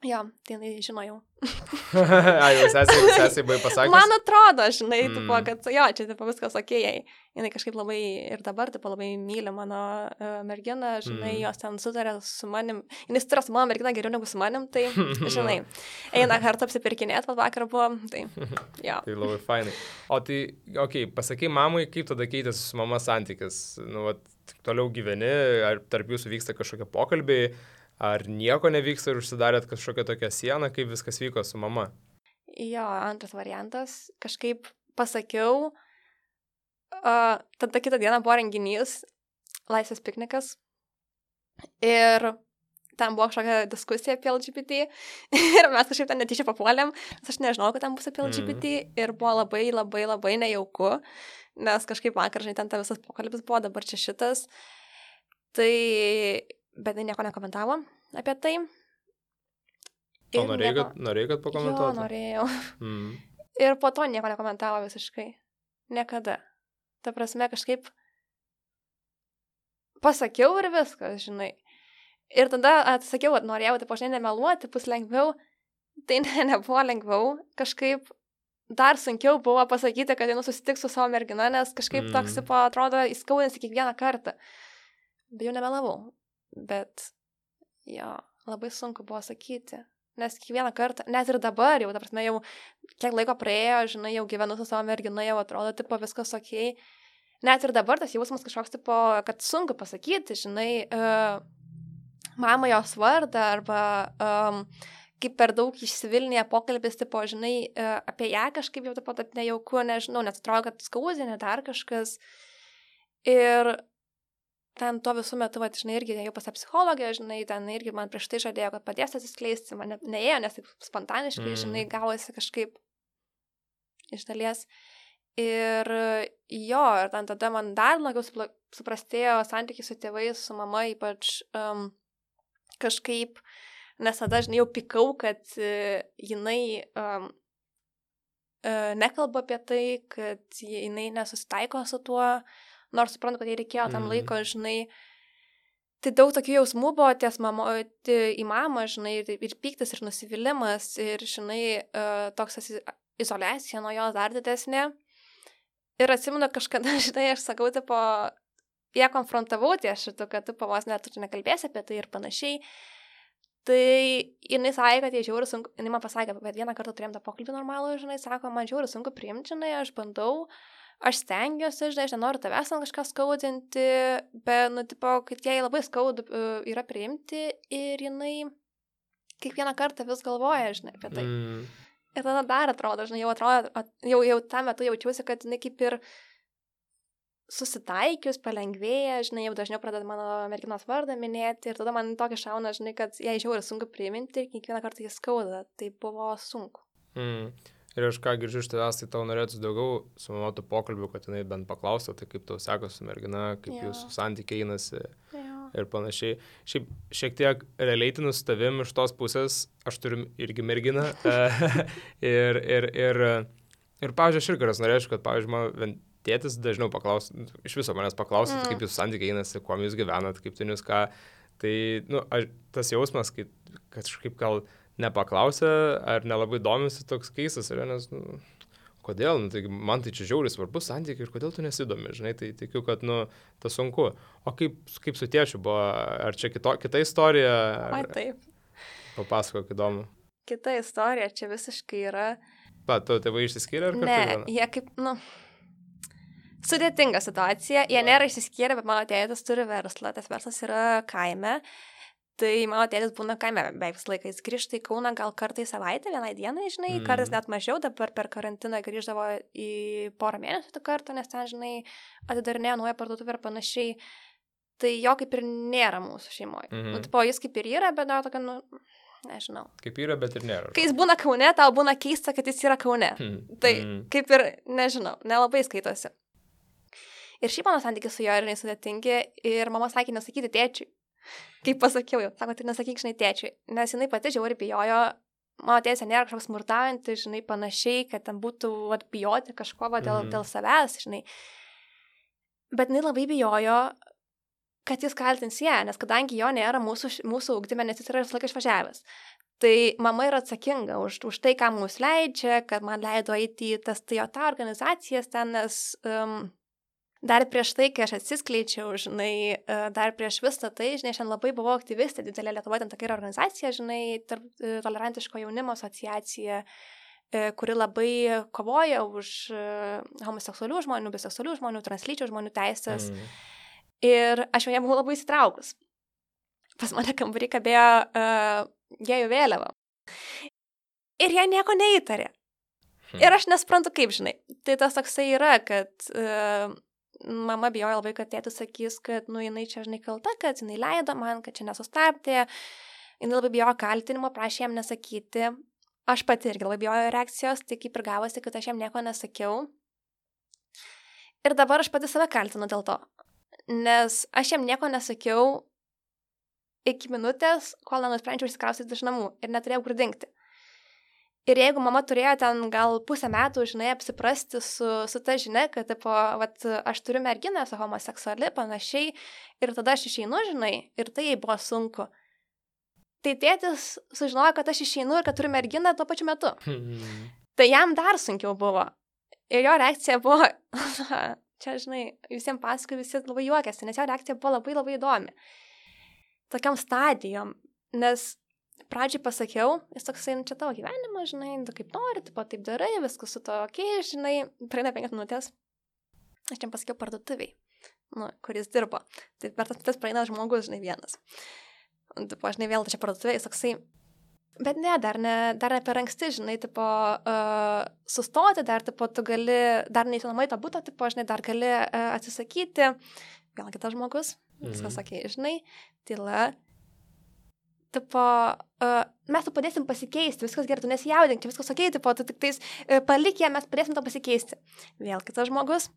Jo, tai jinai žino jau. Ai, jau sesiai, sesiai buvai pasakęs? Man atrodo, žinai, mm. tipo, kad jo, čia tipo, viskas okėjai. Jinai kažkaip labai ir dabar tipo, labai myli mano uh, merginą, žinai, mm. jos ten sutarė su manim. Jinai sutarė su mano merginą geriau negu su manim, tai, žinai, eina kartu apsipirkinėti, vat vakar buvo, tai jo. Tai labai fainai. O tai, okei, okay, pasakai mamai, kaip tada keitėsi su mama santykis? Nu, vat, toliau gyveni, ar tarp jūsų vyksta kažkokie pokalbiai? Ar nieko nevyksta ir užsidarėt kažkokią tokią sieną, kaip viskas vyko su mama? Jo, antras variantas. Kažkaip pasakiau, uh, tada kitą dieną buvo renginys, laisvės piknikas. Ir ten buvo kažkokia diskusija apie L G B T. Ir mes kažkaip ten netyčia papuolėm, nes aš nežinau, kad ten bus apie L G B T. Mm. Ir buvo labai, labai, labai nejauku, nes kažkaip vakar, žinai, ten ta visas pokalbis buvo, dabar čia šitas. Tai... Bet tai nieko nekomentavo apie tai. Ir o norėjai, nieko... kad, norėjai, kad pakomentuotų? Jo, norėjau. Mm. Ir po to nieko nekomentavo visiškai. Niekada. Ta prasme, kažkaip pasakiau ir viskas, žinai. Ir tada atsakiau, kad norėjau, taip aš nemeluoti, bus lengviau. Tai ne, nebuvo lengviau. Kažkaip dar sunkiau buvo pasakyti, kad einu susitikti su savo mergina, nes kažkaip mm. toks, tipo, atrodo, įskaudinsi kiekvieną kartą. Bet jau nemelavau. Bet, jo, labai sunku buvo sakyti, nes kiekvieną kartą, net ir dabar jau, ta prasme, jau kiek laiko praėjo, žinai, jau gyvenu su savo mergina, jau atrodo, tipo, viskas okei. Net ir dabar tas jausmas kažkoks, tipo, kad sunku pasakyti, žinai, uh, mama jos vardą, arba um, kaip per daug išsivilnėje pokalbis, tipo, žinai, uh, apie ją kažkaip jau, tipo, taip nejauku, nežinau, net atrodo, kad skaudinė dar kažkas. Ir ten tuo visų metu, va, žinai, irgi jau pas psichologę, žinai, ten irgi man prieš tai žadėjo, kad padės atsiskleisti, man ne, neėjo, nes taip spontaniškai, mm. žinai, gavosi kažkaip iš dalies. Ir jo, ir ten tada man dar labiau suprastėjo santykiai su tėvais, su mama, ypač um, kažkaip, nes tada, žinai, jau pikau, kad uh, jinai um, uh, nekalba apie tai, kad jinai nesusitaiko su tuo, nors suprantu, kad jai reikėjo tam laiko, žinai, tai daug tokių jausmų buvo ties mamo, į mamą, žinai, ir, ir pyktis, ir nusivylimas, ir, žinai, uh, toks izoliacija nuo jos dar didesnė. Ir atsimenu kažkada, žinai, aš sakau, tipo, ją konfrontavau ties šitu, kad tu pavos net tu nekalbėsi apie tai ir panašiai. Tai jinai sakė, kad jie žiauri sunku, jinai man pasakė, bet vieną kartą turėjom tą pokalbį normalų, žinai, sako, man žiauri sunku priimti, žinai, aš bandau, aš stengiuosi, žinai, aš nenoriu tavęs ant kažką skaudinti, bet, nu, tipo, kad jai labai skaudu uh, yra priimti ir jinai kiekvieną kartą vis galvoja, žinai, apie tai. Mm. Ir tada dar atrodo, žinai, jau atrodo, jau, jau tą metu jaučiuosi, kad jinai kaip ir susitaikius, palengvėja, žinai, jau dažniau pradeda mano merginos vardą minėti ir tada man tokia šauna, žinai, kad jai žiauri sunku priiminti ir kiekvieną kartą jis skauda, tai buvo sunku. Mm. Ir aš ką girdžiu iš tavęs, tai tau norėtų daugiau su mama tų pokalbių, kad jinai bent paklaustų, tai kaip tau sekasi su mergina, kaip Jo. jūsų santykiai einasi Jo. ir panašiai. Šiaip šiek tiek relatinu su tavim iš tos pusės, aš turiu irgi merginą. ir, ir, ir, ir, pavyzdžiui, aš irgi norėčiau, kad, pavyzdžiui, man tėtis dažniau paklaustų, iš viso manęs paklaustų, mm. kaip jūsų santykiai einasi, kuo jūs gyvenat, kaip ten jūs ką. Tai, nu, aš, tas jausmas, kad, kad kažkaip gal nepaklausė ar nelabai domisi, toks keistas yra, nes, nu, kodėl, nu, tai man tai čia žiauriai svarbus santykiai ir kodėl tu nesidomi, žinai, tai tikiu, kad, nu, tas sunku. O kaip, kaip su tėčiu buvo, ar čia kito, kita istorija? Ar... Ai, taip. Papasakok, įdomu. Kita istorija čia visiškai yra. Pa, tavo tėvai išsiskyrė ar kartu? Ne, jie kaip, nu, sudėtinga situacija, jie nėra išsiskyrę, bet mano tėtis turi verslą, tas verslas yra kaime. Tai mano tėtis būna kaime beveik visą laiką, jis grįžta į Kauną gal kartą į savaitę, vienai dienai, žinai, mm. kartais net mažiau, dabar per karantiną grįždavo į porą mėnesių tą kartą, nes ten, žinai, atidarinėjo naują parduotuvę ir panašiai. Tai jo kaip ir nėra mūsų šeimoje. Mm-hmm. Nu, tipo, jis kaip ir yra, bet dar tokia, nu, nežinau. Kaip yra, bet ir nėra. Kai jis būna Kaune, tau būna keista, kad jis yra Kaune. Mm. Tai mm. kaip ir, nežinau, nelabai skaitosi. Ir šiaip mano santykiai su jo yra nesudėtingi ir mama sakė nesakyti tėčiui. Kaip pasakiau jau, sako, tai nesakyk, žinai, tėčiui, nes jinai pati žiauriai bijojo, mano tėsė nėra kažkoks smurtaujantis, žinai, panašiai, kad ten būtų vat, bijoti kažko va, dėl, mm. dėl savęs, žinai. Bet jinai labai bijojo, kad jis kaltins ją, nes kadangi jo nėra mūsų, mūsų ugdyme, nes jis yra visą laiką išvažiavęs. Tai mama yra atsakinga už, už tai, ką mums leidžia, kad man leido eiti į tas Toyota organizacijas ten, nes... Um, Dar prieš tai, kai aš atsiskleidžiau, žinai, dar prieš visą tai, žinai, šiandien labai buvau aktyvistė, didelė Lietuvoje, ten tokia yra organizacija, žinai, tarp, tolerantiško jaunimo asociacija, kuri labai kovoja už homoseksualių žmonių, biseksualių žmonių, translyčių žmonių teisės. Mm. Ir aš joje buvau labai įsitraukus. Pas mane kambarį kabėjo uh, gėjų vėliava. Ir jie nieko neįtarė. Mm. Ir aš nesprantu kaip, žinai. Tai tas toksai yra, kad... Uh, Mama bijojo labai, kad tėtis sakys, kad, nu, jinai čia, žinai, kalta, kad jinai leido man, kad čia nesustabdė. Jinai labai bijojo kaltinimo, prašė jam nesakyti. Aš pati irgi labai bijojo reakcijos, tai kaip ir gavosi, kad aš jam nieko nesakiau. Ir dabar aš pati save kaltinu dėl to. Nes aš jam nieko nesakiau iki minutės, kol nenusprendžiau išsikraustyti iš namų ir neturėjau kur dingti. Ir jeigu mama turėjo ten gal pusę metų, žinai, apsiprasti su, su ta žinia, kad, tipo, vat, aš turiu merginą, esu homoseksuali, panašiai, ir tada aš išeinu, žinai, ir tai jai buvo sunku. Tai tėtis sužinojo, kad aš išeinu ir kad turiu merginą tuo pačiu metu. Hmm. Tai jam dar sunkiau buvo. Ir jo reakcija buvo, čia, žinai, visiems pasakoju, visi labai juokiasi, nes jo reakcija buvo labai labai įdomi. Tokiam stadijom, nes... Pradžiai pasakiau, jis toksai, nu čia tavo gyvenimas, žinai, tu kaip nori, tipo taip darai, viskas su to ok, žinai, praeina penkias minutės, aš čia pasakiau parduotuviai, nu, kuris dirbo, tai per tas minutės praeina žmogus, žinai, vienas. Tipo, žinai, vėl čia parduotuviai, jis toksai, bet ne, dar ne, dar ne per anksti, žinai, tipo, uh, sustoti, dar, tipo, tu gali, dar neįsinomai tą būtą, tipo, žinai, dar gali uh, atsisakyti, vėl kitas žmogus, viskas mm-hmm. sakė, žinai, tyla. Tipo, uh, mes tu padėsim pasikeisti, viskas gerai, tu nesijaudink, viskas ok, tipo, tu tik tais uh, palik ją, mes padėsim to pasikeisti. Vėl kitas žmogus.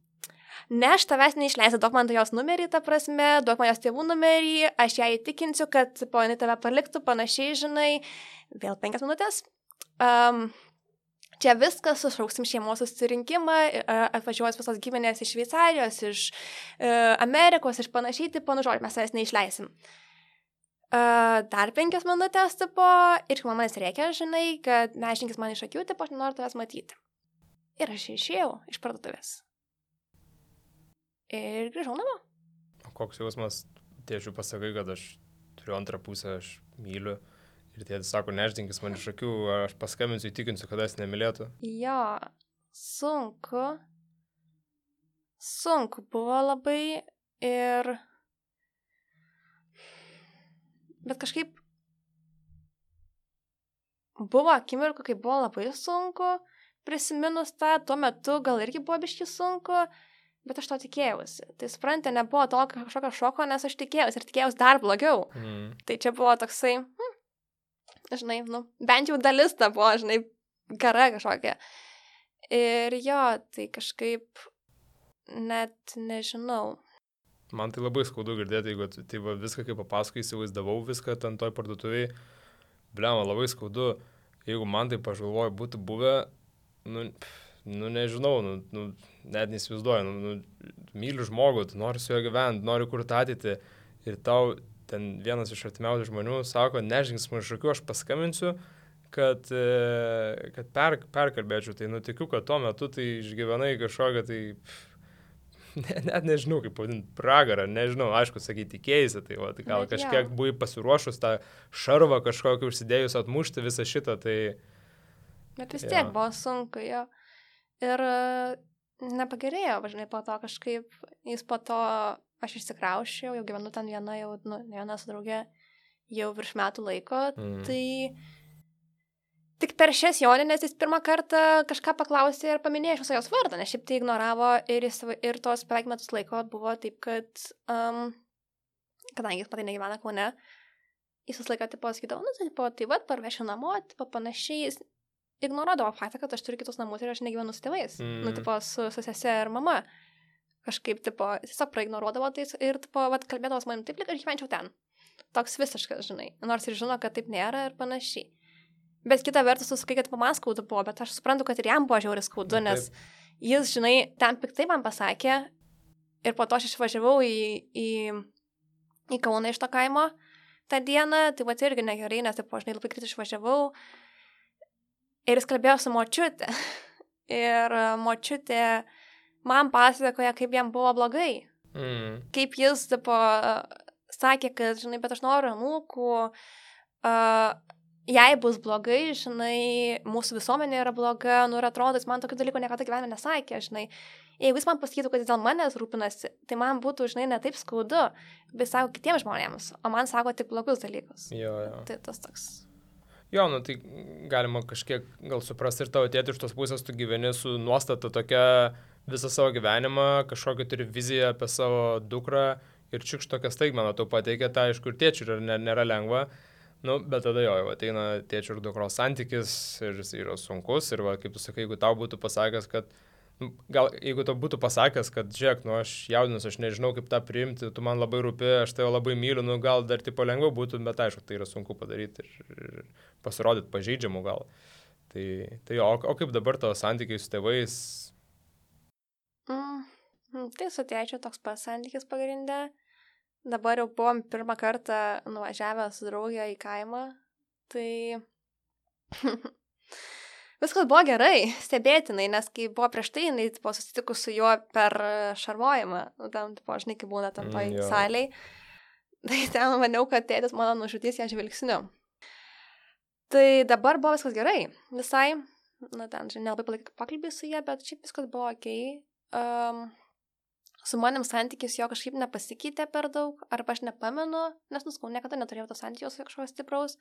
Ne, aš tavęs neišleisiu, duok man jos numerį, ta prasme, duok man jos tėvų numerį, aš ją įtikinsiu, kad, tipo, jinai tave paliktų, panašiai, žinai. Vėl penkias minutės. Um, čia viskas, sušauksim šeimos susirinkimą, uh, atvažiuos visos giminės iš Šveicarijos, iš uh, Amerikos, iš panašiai, tipo, nu žodžiu, mes tavęs neišleisim. Uh, dar penkias minutės, tipo, ir kai man reikia, žinai, kad nežinkis man iš akių, tipo, aš nenoriu tavęs matyti. Ir aš išėjau iš parduotuvės. Ir grįžau namo. O koks jausmas, tėčiui pasakai, kad aš turiu antrą pusę, aš myliu. Ir tėtis sako, nežinkis man iš akių, aš paskambinsiu, įtikinsiu, kad jis nemylėtų. Jo, sunku. Sunku buvo labai ir... Bet kažkaip buvo akimirkų, kai buvo labai sunku, prisiminus tą, tuo metu gal irgi buvo biški sunku, bet aš to tikėjausi. Tai suprantate, nebuvo to kažkokio šoko, nes aš tikėjausi ir tikėjausi dar blogiau. Mm. Tai čia buvo toksai, hm, žinai, nu, bent jau dalis ta buvo, žinai, gara kažkokia. Ir jo, tai kažkaip net nežinau. Man tai labai skaudu girdėti, jeigu tai va, viską kaip papasakai, įsivaizdavau viską ten toj parduotuviai. Bliama, labai skaudu, jeigu man tai pažalvoju būtų buvę, nu, nu nežinau, nu, nu, net neįsivaizduoju, nu, nu, myliu žmogų, tu nori su juo gyventi, nori kurti ateitį ir tau ten vienas iš artimiausių žmonių sako, nežinks man šakiu, aš paskambinsiu, kad, kad per, perkalbėčiau, tai nutikiu, kad tuo metu tai išgyvenai kažkokią tai... Ne, net nežinau, kaip pavadinti, pragarą, nežinau, aišku, sakyti, tikėjasi, tai, va, tai gal Bet kažkiek jau. buvai pasiruošus tą šarvą kažkokį užsidėjus atmušti visą šitą, tai... Bet vis Jo. tiek buvo sunku, jo. Ir e, nepagerėjo, važinai, po to kažkaip, jis po to, aš išsikraušiau, jau gyvenu ten viena, jau, nu, ne viena su draugė, jau virš metų laiko, Mm. tai tik per šias joninės jis pirmą kartą kažką paklausė ir paminėjo iš viso jos vardą, nes šiaip tai ignoravo ir, jis, ir tos beveik metus laiko buvo taip, kad, um, kadangi jis patai negyvena Kaune, jis visą laiką tipo sakydavo, nu, tai, tipo, tai vad, parvešiu namo, tipo, panašiai, jis ignoruodavo faktą, kad aš turiu kitus namus ir aš negyvenu su tėvais, Mm. nu, tipo, su, su sese ir mama. Kažkaip, tipo, tiesiog praignoruodavo tai ir, tipo, vat, kalbėdavo su manim taip, lyg aš gyvenčiau ten. Toks visiškas, žinai, nors ir žino, kad taip nėra ir panašiai. Bet kita vertus, tu sakai, kad man skaudu buvo, bet aš suprantu, kad ir jam buvo žiauriai skaudu, nes jis, žinai, ten piktai man pasakė ir po to aš išvažiavau į, į, į Kauną iš to kaimo tą dieną, tai va irgi negerai, nes, taip, žinai, labai greitai išvažiavau ir jis kalbėjo su močiute ir močiutė man pasakoja, kaip jam buvo blogai, Mm. kaip jis, taip, sakė, kad, žinai, bet aš noriu anūkų, uh, jei bus blogai, žinai, mūsų visuomenė yra bloga, nu ir atrodo, jis man tokių dalykų niekada gyvenime nesakė, žinai. Jeigu jis man pasakytų, kad jis dėl manęs rūpinasi, tai man būtų, žinai, ne taip skaudu, bet sako kitiems žmonėms, o man sako tik blogus dalykus. Jo, jo. Tai tas toks. Jo, nu tai galima kažkiek gal suprasti ir tavo tėtį iš tos pusės, tu gyveni su nuostata tokia visą savo gyvenimą, kažkokią turi viziją apie savo dukrą ir čiukš tokią staigmeną tau pateikia, tai aišku ir tėčiui nėra, nėra lengva. Nu, bet tada jo, jau ateina tėčio ir dukros santykis ir jis yra sunkus ir va, kaip tu sakai, jeigu tau būtų pasakęs, kad, nu, gal jeigu tau būtų pasakęs, kad žiūrėk, nu aš jaudinus, aš nežinau kaip tą priimti, tu man labai rūpi, aš tave labai myliu, nu gal dar tipo lengviau būtų, bet aišku, tai yra sunku padaryti ir, ir pasirodyti pažeidžiamų gal. Tai, tai jo, o, o kaip dabar tavo santykiai su tėvais? Mm, tai su tėčiu toks pats santykis pagrindė. Dabar jau buvom pirmą kartą nuvažiavę su draugė į kaimą, tai viskas buvo gerai, stebėtinai, nes kai buvo prieš tai, jinai tipo, susitikus su juo per šarvojimą, nu, tam, tipo, žinai, kai būna tam toj Mm, jo. saliai, tai ten maniau, kad tėtis mano nužudys ją žvilgsniu. Tai dabar buvo viskas gerai, visai, na ten, žinai, nelabai palaikė pokalbį su jie, bet šiaip viskas buvo okei. Um, Su manim santykis jo kažkaip nepasikeitė per daug, arba aš nepamenu, nes nuskau, niekada neturėjau to santykio su kažkokios stipraus.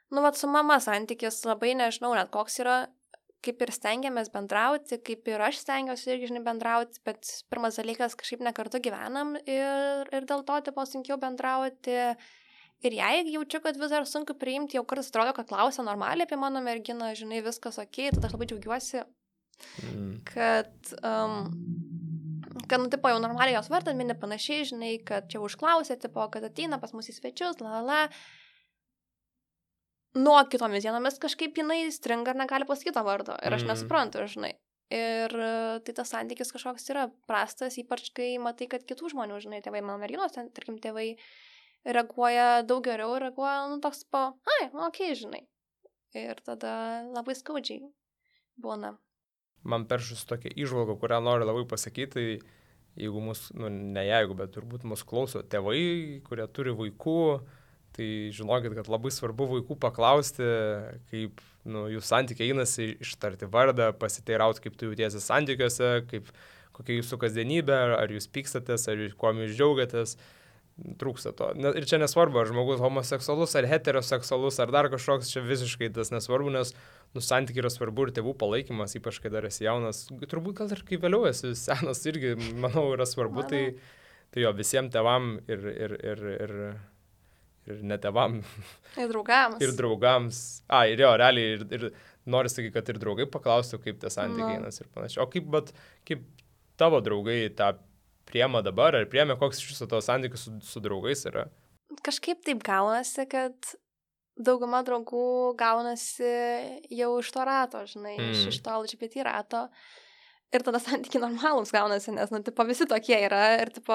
Nu, vat su mama santykis labai nežinau net koks yra, kaip ir stengiamės bendrauti, kaip ir aš stengiuosi irgi, žinai, bendrauti, bet pirmas dalykas kažkaip nekartu gyvenam ir, ir dėl to, tipo, sunkiau bendrauti. Ir jei jaučiu, kad vis dar sunku priimti, jau kartais atrodo, kad klausia normaliai apie mano merginą, žinai, viskas okei, tada aš labai džiaugiuosi, Mm. kad... Um, kad, nu, tipo, jau normaliai jos vardą mini panašiai, žinai, kad čia užklausė, tipo, kad ateina pas mus į svečius, la, la, la. Nuo kitomis dienomis kažkaip jinai stringa ir negali pasakyti to vardo. Ir aš Mm. nesuprantu, žinai. Ir e, tai tas santykis kažkoks yra prastas, ypač kai matai, kad kitų žmonių, žinai, tėvai, mano merginos, ten, tarkim, tėvai reaguoja daug geriau, reaguoja, nu, toks po, ai, nu, okei, žinai. Ir tada labai skaudžiai būna. Man peršus tokia įžvalga, kurią noriu labai pasakyti, tai jeigu mus, nu ne jeigu, bet turbūt mus klauso tėvai, kurie turi vaikų, tai žinokit, kad labai svarbu vaikų paklausti, kaip, nu, jų santykiai einasi, ištarti vardą, pasiteirauti, kaip tu jautiesi santykiuose, kaip, kokia jūsų kasdienybė, ar, ar jūs pykstatės, ar jūs kuom jūs džiaugiatės, trūksta to. Ne, ir čia nesvarbu, ar žmogus homoseksualus, ar heteroseksualus, ar dar kažkoks, čia visiškai tas nesvarbu, nes nu, santykiai yra svarbu ir tėvų palaikymas, ypač kai dar esi jaunas, turbūt gal ir kai vėliau esi senas irgi, manau, yra svarbu, tai, tai jo, visiems tėvam ir, ir, ir, ir, ir net tėvam. Ir draugams. Ir draugams. A, ir jo, realiai, ir, ir noriu sakyti, kad ir draugai paklaustų, kaip tie santykiai einas ir panašiai. O kaip, bet, kaip tavo draugai tą priema dabar, ar priemė, koks iš viso tavo santykis su, su draugais yra? Kažkaip taip gaunasi, kad dauguma draugų gaunasi jau iš to rato, žinai, mm. iš, iš to L G B T rato. Ir tada santykiai normalūs gaunasi, nes, nu, tipo, visi tokie yra ir, tipo,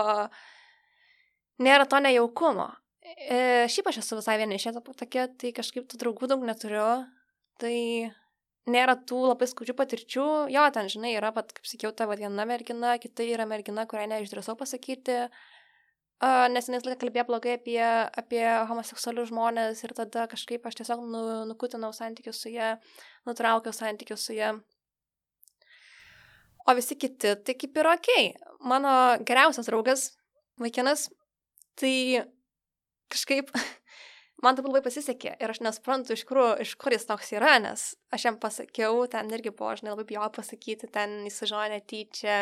nėra to nejaukumo. E, šiaip aš esu visai vienišė tokia, tai kažkaip tų draugų daug neturiu, tai nėra tų labai skaudžių patirčių. Jo, ten, žinai, yra, pat, kaip sakiau, ta viena mergina, kita yra mergina, kurią neišdrįsau pasakyti, uh, nes jinai laiką kalbėjo blogai apie, apie homoseksualius žmonės ir tada kažkaip aš tiesiog nu, nukutinau santykius su ja, nutraukiau santykius su ja. O visi kiti, tai kaip ir okei. Mano geriausias draugas, vaikinas, tai kažkaip man taip labai pasisekė ir aš nesuprantu, iš kur, iš kur jis toks yra, nes aš jam pasakiau, ten irgi buvo, žinai, labai bijau pasakyti, ten jis sužinojo netyčia.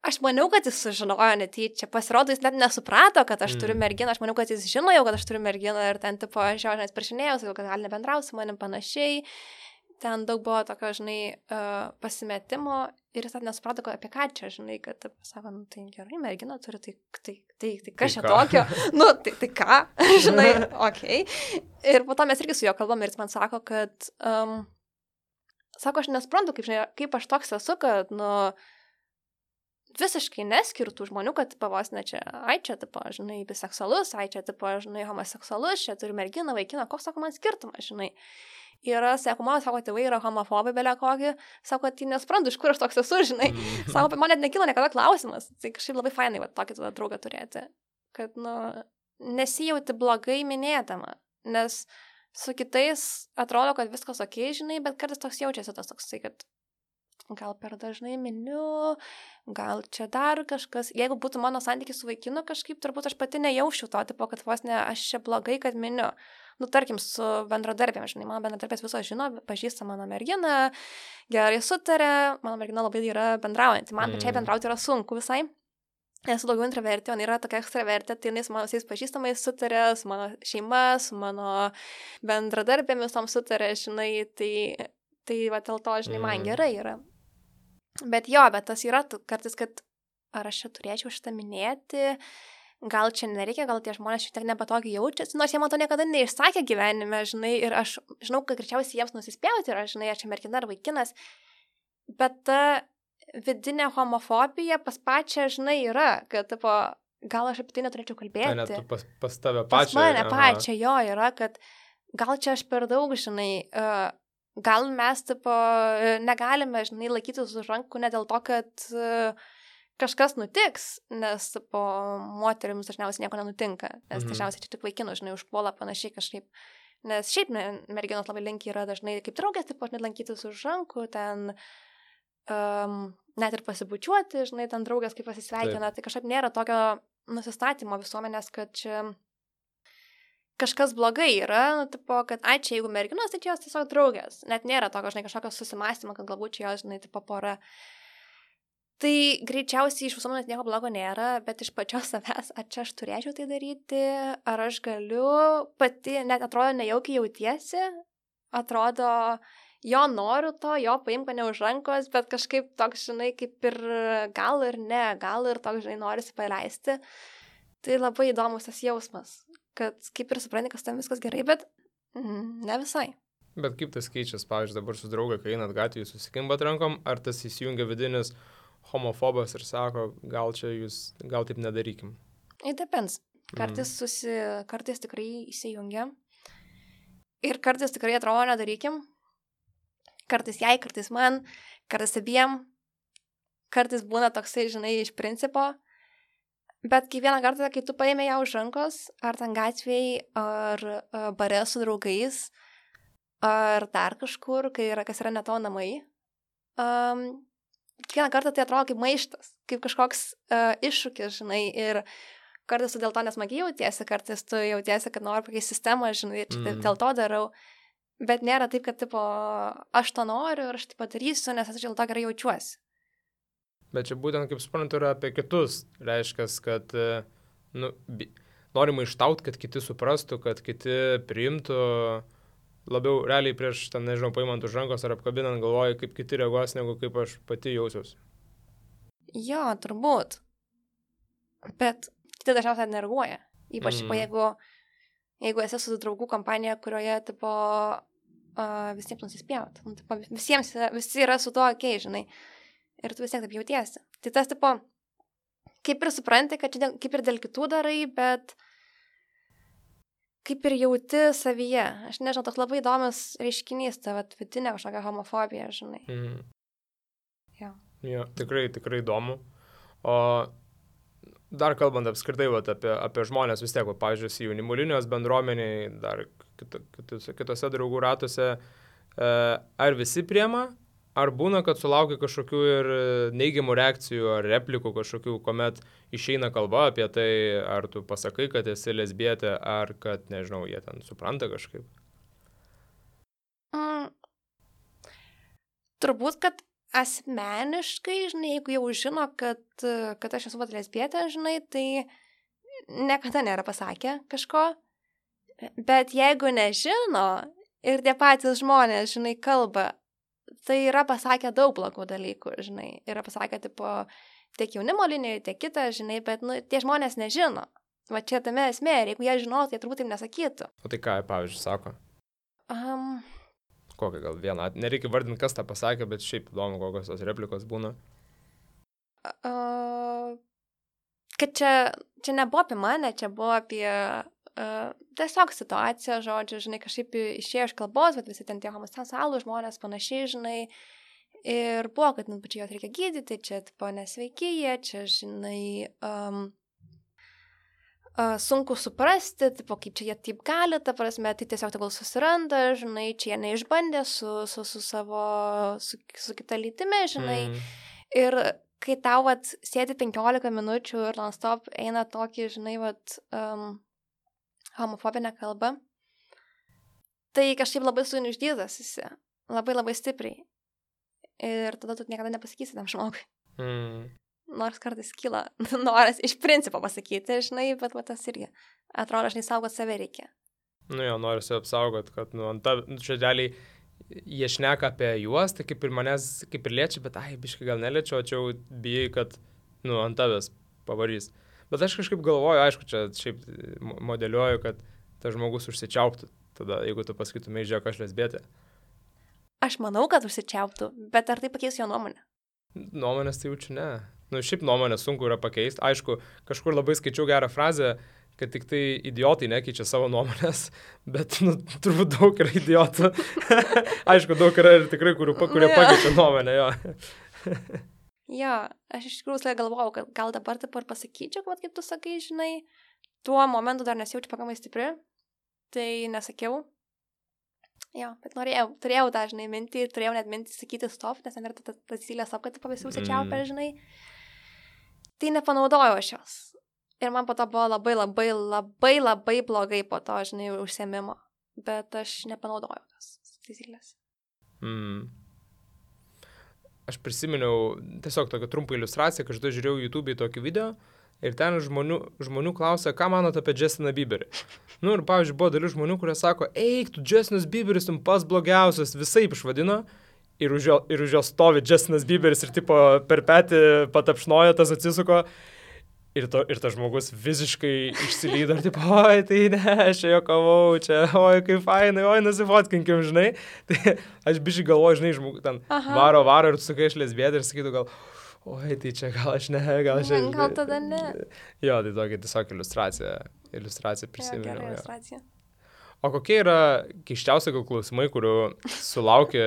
Aš maniau, kad jis sužinojo netyčia. Pasirodo, jis net nesuprato, kad aš turiu merginą. Aš maniau, kad jis žino jau, kad aš turiu merginą ir ten, tipo, aš jau žinai, prašinėjau, sakiau, kad gali nebendrauti su manim panašiai. Ten daug buvo tokio, žinai, uh, pasimetimo ir jis net nesuprato, apie ką čia, žinai, kad, taip, sako, nu, tai gerai, merginą turi, tai, tai, tai, tai kas čia tokio? Nu, tai, tai ką, žinai, okei. Okay. Ir po to mes irgi su juo kalbam ir jis man sako, kad, um, sako, aš nesuprantu, kaip, žinai, kaip aš toks esu, kad, nu, visiškai neskirtų žmonių, kad pavos ne čia, ai čia, tipo, žinai, biseksualus, ai čia, tipo, žinai, homoseksualus, čia turi merginą, vaikiną, koks, sako, man skirtumas, žinai. Yra, sako, mano, sako, tėvai yra homofobai belia kokį, sako, tai nesuprantu, iš kur aš toks esu, žinai. Sako, man net nekilo niekada klausimas. Tai kažkaip labai fainai, va, tokį tada draugą turėti. Kad, nu, nesijauti blogai minėdama. Nes su kitais atrodo, kad viskas okei, žinai, bet kartais toks jaučiasi tas toksai, kad gal per dažnai miniu, gal čia dar kažkas. Jeigu būtų mano santykis su vaikinu kažkaip, turbūt aš pati nejaušiu to, tipo, kad vos ne, aš čia blogai, kad miniu. Nu, tarkim, su bendradarbėm, žinai, mano bendradarbės visos žino, pažįsta mano merginą, gerai sutarė, mano mergina labai yra bendraujanti. Man pačiai mm. bendrauti yra sunku visai. Esu daugiau intravertė, o yra tokia ekstravertė, tai jinai su mano visais pažįstamais sutarė, su mano šeima, su mano bendradarbėmis tom sutarė, žinai, tai, tai va, dėl to, žinai, man mm. gerai yra. Bet jo, bet tas yra kartais, kad ar aš čia turėčiau šitą minėti, gal čia nereikia, gal tie žmonės šiek tiek nepatogiai jaučiasi, nors jie man to niekada neišsakė gyvenime, žinai, ir aš žinau, kad greičiausiai jiems nusispjauti yra, žinai, aš čia mergina ar vaikinas, bet ta vidinė homofobija pas pačią, žinai, yra, kad, tipo, gal aš apie tai neturėčiau kalbėti. Tai net pas, pas tave pačią. Pas mane pačią, jo, yra, kad gal čia aš per daug, žinai, uh, gal mes, tipo, negalime, žinai, laikytis už rankų ne dėl to, kad uh, kažkas nutiks, nes, tipo, moterims dažniausiai nieko nenutinka, nes mhm. dažniausiai čia tik vaikinų, žinai, užpuola panašiai kažkaip. Nes šiaip ne, merginos labai linki yra dažnai kaip draugės, tipo, net lankytis už rankų, ten um, net ir pasibučiuoti, žinai, ten draugės kaip pasisveikina, Taip. Tai kažkaip nėra tokio nusistatymo visuomenės, kad čia kažkas blogai yra, nu, tipo, kad, ai, čia jeigu merginos, tai čia jos tiesiog draugės. Net nėra tokio, žinai, kažkokio susimastymo, kad galbūt čia jos, žinai, tipo, pora. Tai greičiausiai iš visuomenės nieko blogo nėra, bet iš pačios savęs, ar čia aš turėčiau tai daryti, ar aš galiu, pati net atrodo nejaukiai jautiesi, atrodo, jo noriu to, jo paimk mane už rankos, bet kažkaip toks, žinai, kaip ir gal ir ne, gal ir toks, žinai, norisi paleisti. Tai labai įdomus tas jausmas, kad kaip ir supranti, kas tam viskas gerai, bet mm, ne visai. Bet kaip tas keičias, pavyzdžiui, dabar su drauga, kai einat gatvėje, susikimbat rankom, ar tas įsijungia vidinis homofobas ir sako, gal čia jūs, gal taip nedarykim? It depends. Kartais, susi, kartais tikrai įsijungia. Ir kartais tikrai atrodo nedarykim. Kartais jai, kartais man, kartais abiem. Kartais būna toksai, žinai, iš principo. Bet kiekvieną kartą, kai tu paėmė ją už rankos, ar ten gatvėj, ar uh, bare su draugais, ar dar kažkur, kai yra, kas yra ne tavo namai, um, kiekvieną kartą tai atrodo kaip maištas, kaip kažkoks uh, iššūkis, žinai, ir kartais tu dėl to nesmagiai jautiesi, kartais tu jautiesi, kad nori pakeisti sistemą, žinai, ir mm. dėl to darau, bet nėra taip, kad, tipo, aš to noriu ir aš tai padarysiu, nes aš dėl to gerai jaučiuosi. Bet čia būtent, kaip suprantu, yra apie kitus, reiškia, kad, nu, norima ištaut, kad kiti suprastų, kad kiti priimtų, labiau realiai prieš, ten, nežinau, paimant už rankos ar apkabinant galvoju, kaip kiti reaguos, negu kaip aš pati jausiuosi. Jo, turbūt. Bet kiti dažniausiai nereaguoja. Ypač, mm. jeigu, jeigu esi su draugų kompanija, kurioje, tipo, uh, visiems nusispjaut. Nu, tipo, visiems, visi yra su tuo okei, žinai. Ir tu vis tiek taip jautiesi. Tai tas, tipo, kaip ir supranti, kad čia kaip ir dėl kitų darai, bet kaip ir jauti savyje. Aš nežinau, toks labai įdomus reiškinys, ta vat, vidinė kažkokia homofobija, žinai. Mm. Jo. Jo, tikrai, tikrai įdomu. O dar kalbant apskritai vat, apie, apie žmonės vis tiek, va, pavyzdžiui, jaunimo linijos bendruomeniai, dar kito, kitose, kitose draugų ratuose, e, ar visi priema, ar būna, kad sulaukia kažkokių ir neigiamų reakcijų ar replikų kažkokių, kuomet išeina kalba apie tai, ar tu pasakai, kad esi lesbietė, ar kad, nežinau, jie ten supranta kažkaip? Mm. Turbūt, kad asmeniškai, žinai, jeigu jau žino, kad, kad aš esu vat lesbietė, žinai, tai niekada nėra pasakę kažko. Bet jeigu nežino ir tie patys žmonės, žinai, kalba, tai yra pasakę daug blogų dalykų, žinai. Yra pasakę, tipo, tiek jaunimo linijoje, tiek kitą, žinai, bet, nu, tie žmonės nežino. Va čia tame esmė, ir jeigu jie žinotų, tai turbūt taip nesakytų. O tai ką, pavyzdžiui, sako? Um, Kokią gal vieną, nereikia vardinti, kas tą pasakė, bet šiaip įdomu, kokios tos replikos būna. Uh, kad čia, čia nebuvo apie mane, čia buvo apie uh, tiesiog situaciją, žodžiu, žinai, kažkaip išėjo iš kalbos, bet visi ten tie homoseksualūs žmonės panašiai, žinai, ir buvo, kad, nu, čia juos reikia gydyti, čia, tipo, nesveiki jie, čia, žinai, um, Uh, sunku suprasti, tipo, kaip čia jie taip gali, ta prasme, tai tiesiog tegul susiranda, žinai, čia jie neišbandė su, su, su savo, su, su kita lytimi, žinai. Mm. Ir kai tau, vat, sėdi penkiolika minučių ir non-stop eina tokį, žinai, vat, um, homofobinę kalbą, tai kažkaip labai suinuždytas esi, labai labai stipriai. Ir tada tu niekada nepasakysi tam žmogui. Mm. Nors kartais kyla noras iš principo pasakyti, žinai, bet va, tas irgi atrodo, žinai, saugot save reikia. Nu jo, norisi apsaugot, kad, nu, ant ta, čia realiai jie šneka apie juos, tai kaip ir manęs, kaip ir liečia, bet, ai, biškai gal neliečia, o čia jau bijai, kad, nu, ant tavęs pavarys. Bet aš kažkaip galvoju, aišku, čia šiaip modeliuoju, kad tas žmogus užsičiauptų, tada, jeigu tu pasakytumai, žiūrėk, aš lesbietė. Aš manau, kad užsičiauptų, bet ar tai pakeis jo nuomonę? Nuomonės tai jaučiu, ne. Nu, šiaip nuomonę sunku yra pakeisti. Aišku, kažkur labai skaičiau gerą frazę, kad tik tai idiotai nekeičia savo nuomonės, bet, nu, turbūt daug yra idiotų. Aišku, daug yra ir tikrai, kurių, kurie pakeičia nuomonę, jo. Jo, aš iš tikrųjų galvojau, kad gal dabar taip ir pasakyčiau, kad kaip tu sakai, žinai, tuo momentu dar nesijaučiu pakankamai stipri, tai nesakiau. Jo, bet norėjau, turėjau tą, žinai, mintį, turėjau net mintį sakyti stop, nes ten yra ta taisyklė stop, kad tu pavisi užsičiaupę, žinai. Tai nepanaudojau aš jos. Ir man po to buvo labai, labai, labai, labai blogai po to, žinai, užsiėmimo. Bet aš nepanaudojau tos taisyklės. Mm. Aš prisiminiau tiesiog tokią trumpą iliustraciją, kad aš žiūrėjau YouTube'ai tokį video ir ten žmonių, žmonių klausia, ką manot apie Justiną Bieberį. Nu ir, pavyzdžiui, buvo dalis žmonių, kurie sako, eik, tu Justinas Bieberis, tu pas blogiausias, visaip išvadino. Ir už, jo, ir už jo stovi Justinas Bieberis ir tipo per petį patapšnoja, tas atsisuko. Ir, to, ir tas žmogus visiškai išsilydo ir tipo, oi, tai ne, aš čia jokavau, čia, oi, kaip fainai, oi, nusifotkinkim, žinai. Tai aš biškai galvoju, žinai, žmogus ten Aha. varo, varo ir tu sakai, aš lesbietė ir sakytų gal, oi, tai čia gal aš ne, gal aš... Gal tada ne. Jo, tai tokia tiesiog iliustracija, iliustracija prisiminiau. Jo, gera iliustracija. O kokie yra keiščiausi gal klausimai, kurių sulaukia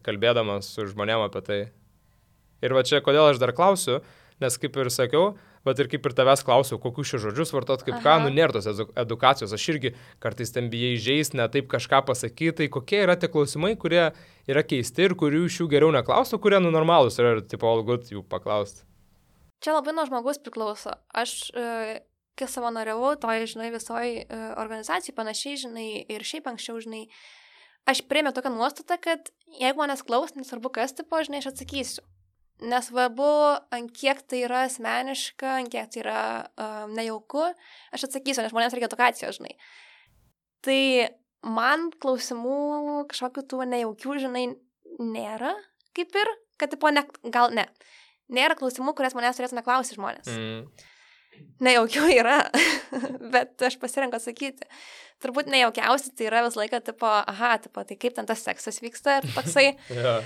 kalbėdamas su žmonėm apie tai? Ir va čia, kodėl aš dar klausiu, nes kaip ir sakiau, bet ir kaip ir tavęs klausiau, kokius šios žodžius vartot, kaip Aha. ką, nu nėra tos edukacijos, aš irgi kartais ten bijai žaisti, ne taip kažką pasakyti, tai kokie yra tie klausimai, kurie yra keisti ir kurių iš jų geriau neklaustų, kurie nu normalūs yra ir tipo all good jų paklausti? Čia labai nuo žmogus priklauso. Aš... E... kai savanoriavau, toj, žinai, visoj uh, organizacijai panašiai, žinai, ir šiaip anksčiau, žinai, aš priėmiau tokią nuostatą, kad jeigu manęs klaus, nesvarbu kas, tipo, žinai, aš atsakysiu. nesvarbu, ant kiek tai yra asmeniška, ant kiek tai yra uh, nejauku, aš atsakysiu, nes žmonėms reikia edukacijos, žinai. Tai man klausimų kažkokių tų nejaukių, žinai, nėra, kaip ir, kad, tipo, ne, gal ne. Nėra klausimų, kurias manęs turėtų neklausyti žmonės. Mm. Nejaukių yra, bet aš pasirenku atsakyti. Turbūt nejaukiausia tai yra vis laiką, tipo, aha, tipo, tai kaip ten tas seksas vyksta ir toksai. yeah.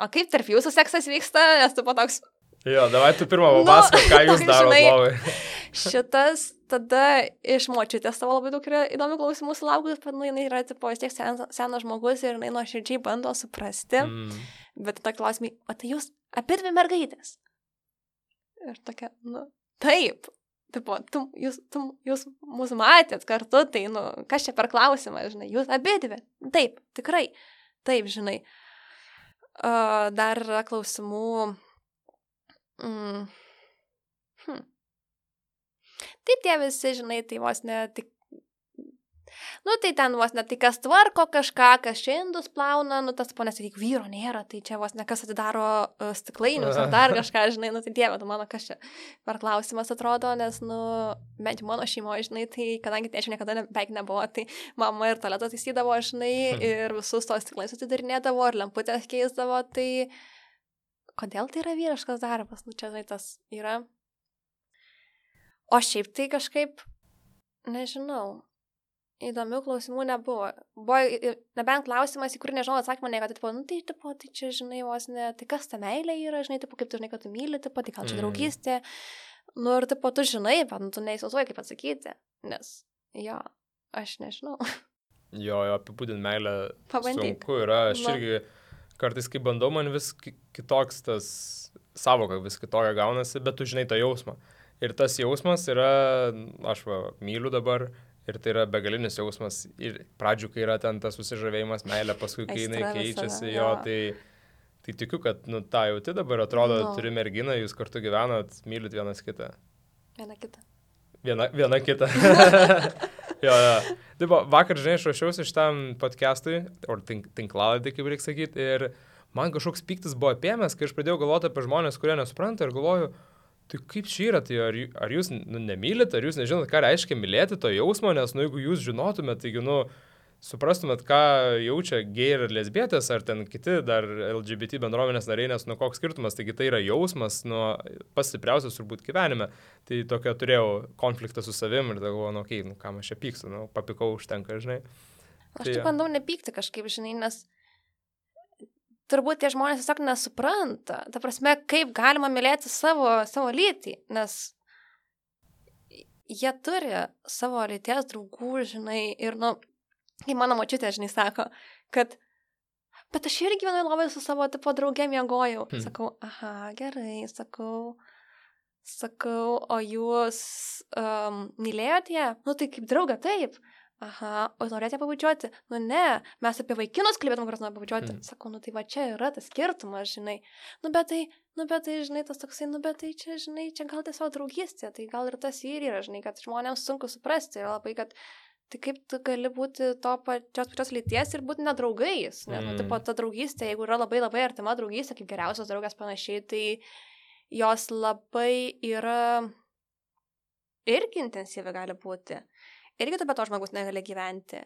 O kaip tarp jūsų seksas vyksta, nes tu po toks... Jo, davai tu pirmą papasakok, nu, ką jūs darote lovai. Šitas tada iš močiutės tavo labai daug yra įdomių klausimų sulaukus, bet nu, jinai yra, tipo, vis tiek sen, senas žmogus ir jinai nuoširdžiai bando suprasti. Mm. Bet tada klausimai, o tai jūs abi dvi mergaitės? Ir tokia, nu, taip. Tipo, tu, jūs, tu, jūs mūsų matėt kartu, tai, nu, kas čia per klausimą, žinai, jūs abi dvi. Taip, tikrai. Taip, žinai. Uh, dar yra klausimų... Mm. Hm. Tai tie visi, žinai, tai vos ne tik... Nu, tai ten vos ne tai kas tvarko kažką, kas čia indus plauna, nu, tas ponės, tai vyro nėra, tai čia vos ne kas atidaro uh, stiklainius ar dar kažką, žinai, nu, tai dieve, tu mano kas čia per klausimas atrodo, nes, nu, bent mano šeimoje, žinai, tai kadangi tėčių niekada ne, beveik nebuvo, tai mama ir tualetą taisydavo, žinai, ir visus tos stiklainius atidarinėdavo, ir lemputės keisdavo, tai kodėl tai yra vyriškas darbas, nu, čia, žinai, tas yra. O šiaip tai kažkaip, nežinau, įdomių klausimų nebuvo. Buvo nebent klausimas, į kurį nežinau atsakymą, ne, kad, tipo, nu, tai, tipo, tai čia, žinai, vos ne, tai kas ta meilė yra, žinai, tipo, kaip tu žinai, kad tu myli, tipo, tai gal čia draugystė. Nu, ir, tipo, tu žinai, bet nu, tu neįsivaizduoji, kaip atsakyti, nes, jo, aš nežinau. Jo, jo, apibūdint meilę Pabandyk. Sunku yra, aš no. irgi kartais, kai bandau, man vis kitoks tas savoka, vis kitokia gaunasi, bet tu žinai tą jausmą. Ir tas jausmas yra, aš va, myliu dabar, ir tai yra begalinis jausmas. Ir pradžių, kai yra ten tas susižavėjimas, meilė, paskui, kai jinai keičiasi, jo, tai, tai tikiu, kad, nu, tą jauti dabar, atrodo, no. turi merginą, jūs kartu gyvenat, mylit vienas kitą. Viena kita. Viena, viena kita. jo, jo. Taip, vakar, žinai, aš ruošiausi šitam podcastui, ar tink, tinklalaidį, kaip reikia sakyti, ir man kažkoks piktis buvo apėmęs, kai aš pradėjau galvoti apie žmonės, kurie nesupranta, ir galvoju, tai kaip čia yra, tai ar, ar jūs nu, nemylit, ar jūs nežinot, ką reiškia mylėti to jausmo, nes, nu, jeigu jūs žinotumėt, taigi, nu, suprastumėt, ką jaučia gay ir lesbietės, ar ten kiti dar L G B T bendruomenės nariai, nes, nu, koks skirtumas, taigi tai yra jausmas, nu, pats stipriausias turbūt gyvenime. Tai tokia turėjau konfliktą su savim ir galvoju, nu, okei, okay, nu, kam aš čia pykstu, nu, papikau užtenka, žinai. Aš tai, tai bandau nepykti kažkaip, žinai, nes turbūt tie žmonės tiesiog nesupranta, ta prasme, kaip galima mylėti savo, savo lytį, nes jie turi savo lyties draugų, žinai, ir, nu, kai mano močiutė, žinai, sako, kad, bet aš irgi gyvenau labai su savo, tipo, draugė miegojau. Hmm. Sakau, aha, gerai, sakau, sakau, o jūs um, mylėjot ją? Nu, tai kaip draugą, taip. Aha, o norėt ją pabučiuoti? Nu ne, mes apie vaikinus kalbėtum, kurios nori pabučiuoti. Mm. Sakau, nu tai va čia yra tas skirtumas, žinai. Nu bet tai, nu bet tai, žinai, tas toksai, nu bet tai čia, žinai, čia gal tiesiog draugystė, tai gal ir tas ir yra, žinai, kad žmonėms sunku suprasti ir labai, kad tai kaip tu gali būti to pačios pačios lyties ir būti nedraugais. Nes, mm. nu, tipo, ta draugystė, jeigu yra labai labai artima draugystė, kaip geriausios draugės panašiai, tai jos labai yra irgi intensyvi gali būti. Irgi tu be to žmogus negali gyventi.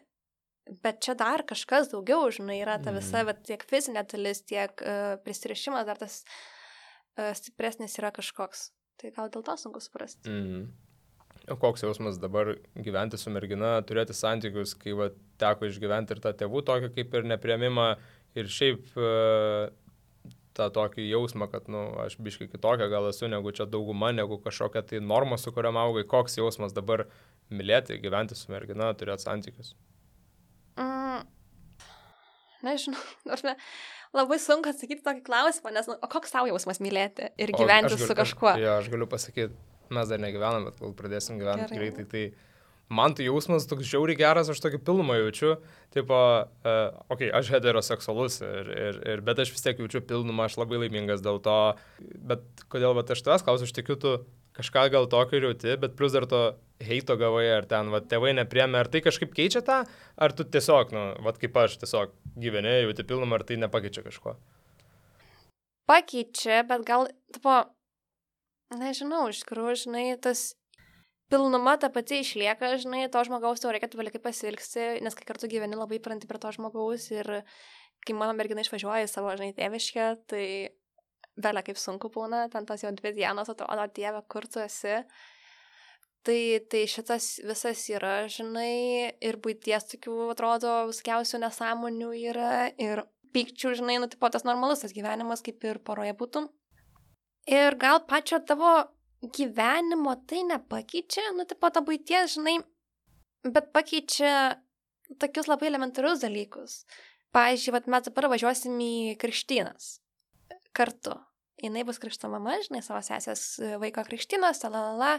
Bet čia dar kažkas daugiau, žinai, yra ta visa, mm. bet tiek fizinė dalis, tiek uh, prisirišimas, dar tas uh, stipresnis yra kažkoks. Tai gal dėl to sunku suprasti. Mm. O koks jausmas dabar gyventi su mergina, turėti santykius, kai va, teko išgyventi ir tą tėvų tokį kaip ir nepriėmimą ir šiaip uh, tą tokį jausmą, kad, nu, aš biškai kitokia gal esu negu čia dauguma, negu kažkokia tai norma, su kuriam augai. Koks jausmas dabar mylėti, gyventi su mergina, turėti santykius? Mm, nežinau, nors ne, labai sunku atsakyti tokį klausimą, nes, nu, o koks tau jausmas mylėti ir gyventi galiu, su kažkuo? Jo, aš galiu pasakyti, mes dar negyvenam, bet gal pradėsim gyventi Gerai. greitai, tai man tai jausmas toks žiauriai geras, aš tokį pilnumą jaučiu, tipo, uh, okei, okay, aš heteroseksualus, ir, ir, ir, bet aš vis tiek jaučiu pilnumą, aš labai laimingas dėl to, bet kodėl va, aš tavęs klausiu, aš tikiu, tu kažką gal tokio jauti, bet plus dar to heito gavai, ar ten, va, tėvai nepriėmė, ar tai kažkaip keičia tą, ar tu tiesiog, nu, va, kaip aš, tiesiog gyveni, jauti pilnumą, ar tai nepakeičia kažko? pakeičia, bet gal, tipo, nežinau, iš tikrųjų, žinai, tas pilnuma ta pati išlieka, žinai, to žmogaus tau reikia tu vėlikai pasilgsti, nes kai kartu gyveni labai pranti prie to žmogaus ir kai mano mergina išvažiuoja į savo, žinai, tėviškę, tai vėlia kaip sunku būna, ten tos jau dvi dienos atrodo, Dieve, kur tu esi. Tai, tai šitas visas yra, žinai, ir buities tokių, atrodo, viskiausių nesąmonių yra, ir pykčių, žinai, nu, tipo, tas normalus tas gyvenimas, kaip ir poroje būtų. Ir gal pačio tavo gyvenimo tai nepakeičia, nu, tipo, ta buities, žinai, bet pakeičia tokius labai elementarius dalykus. Pavyzdžiui, vat mes dabar važiuosim į krikštynas kartu. Jinai bus krikšto mama, žinai, savo sesės vaiko krikštynas, talalala.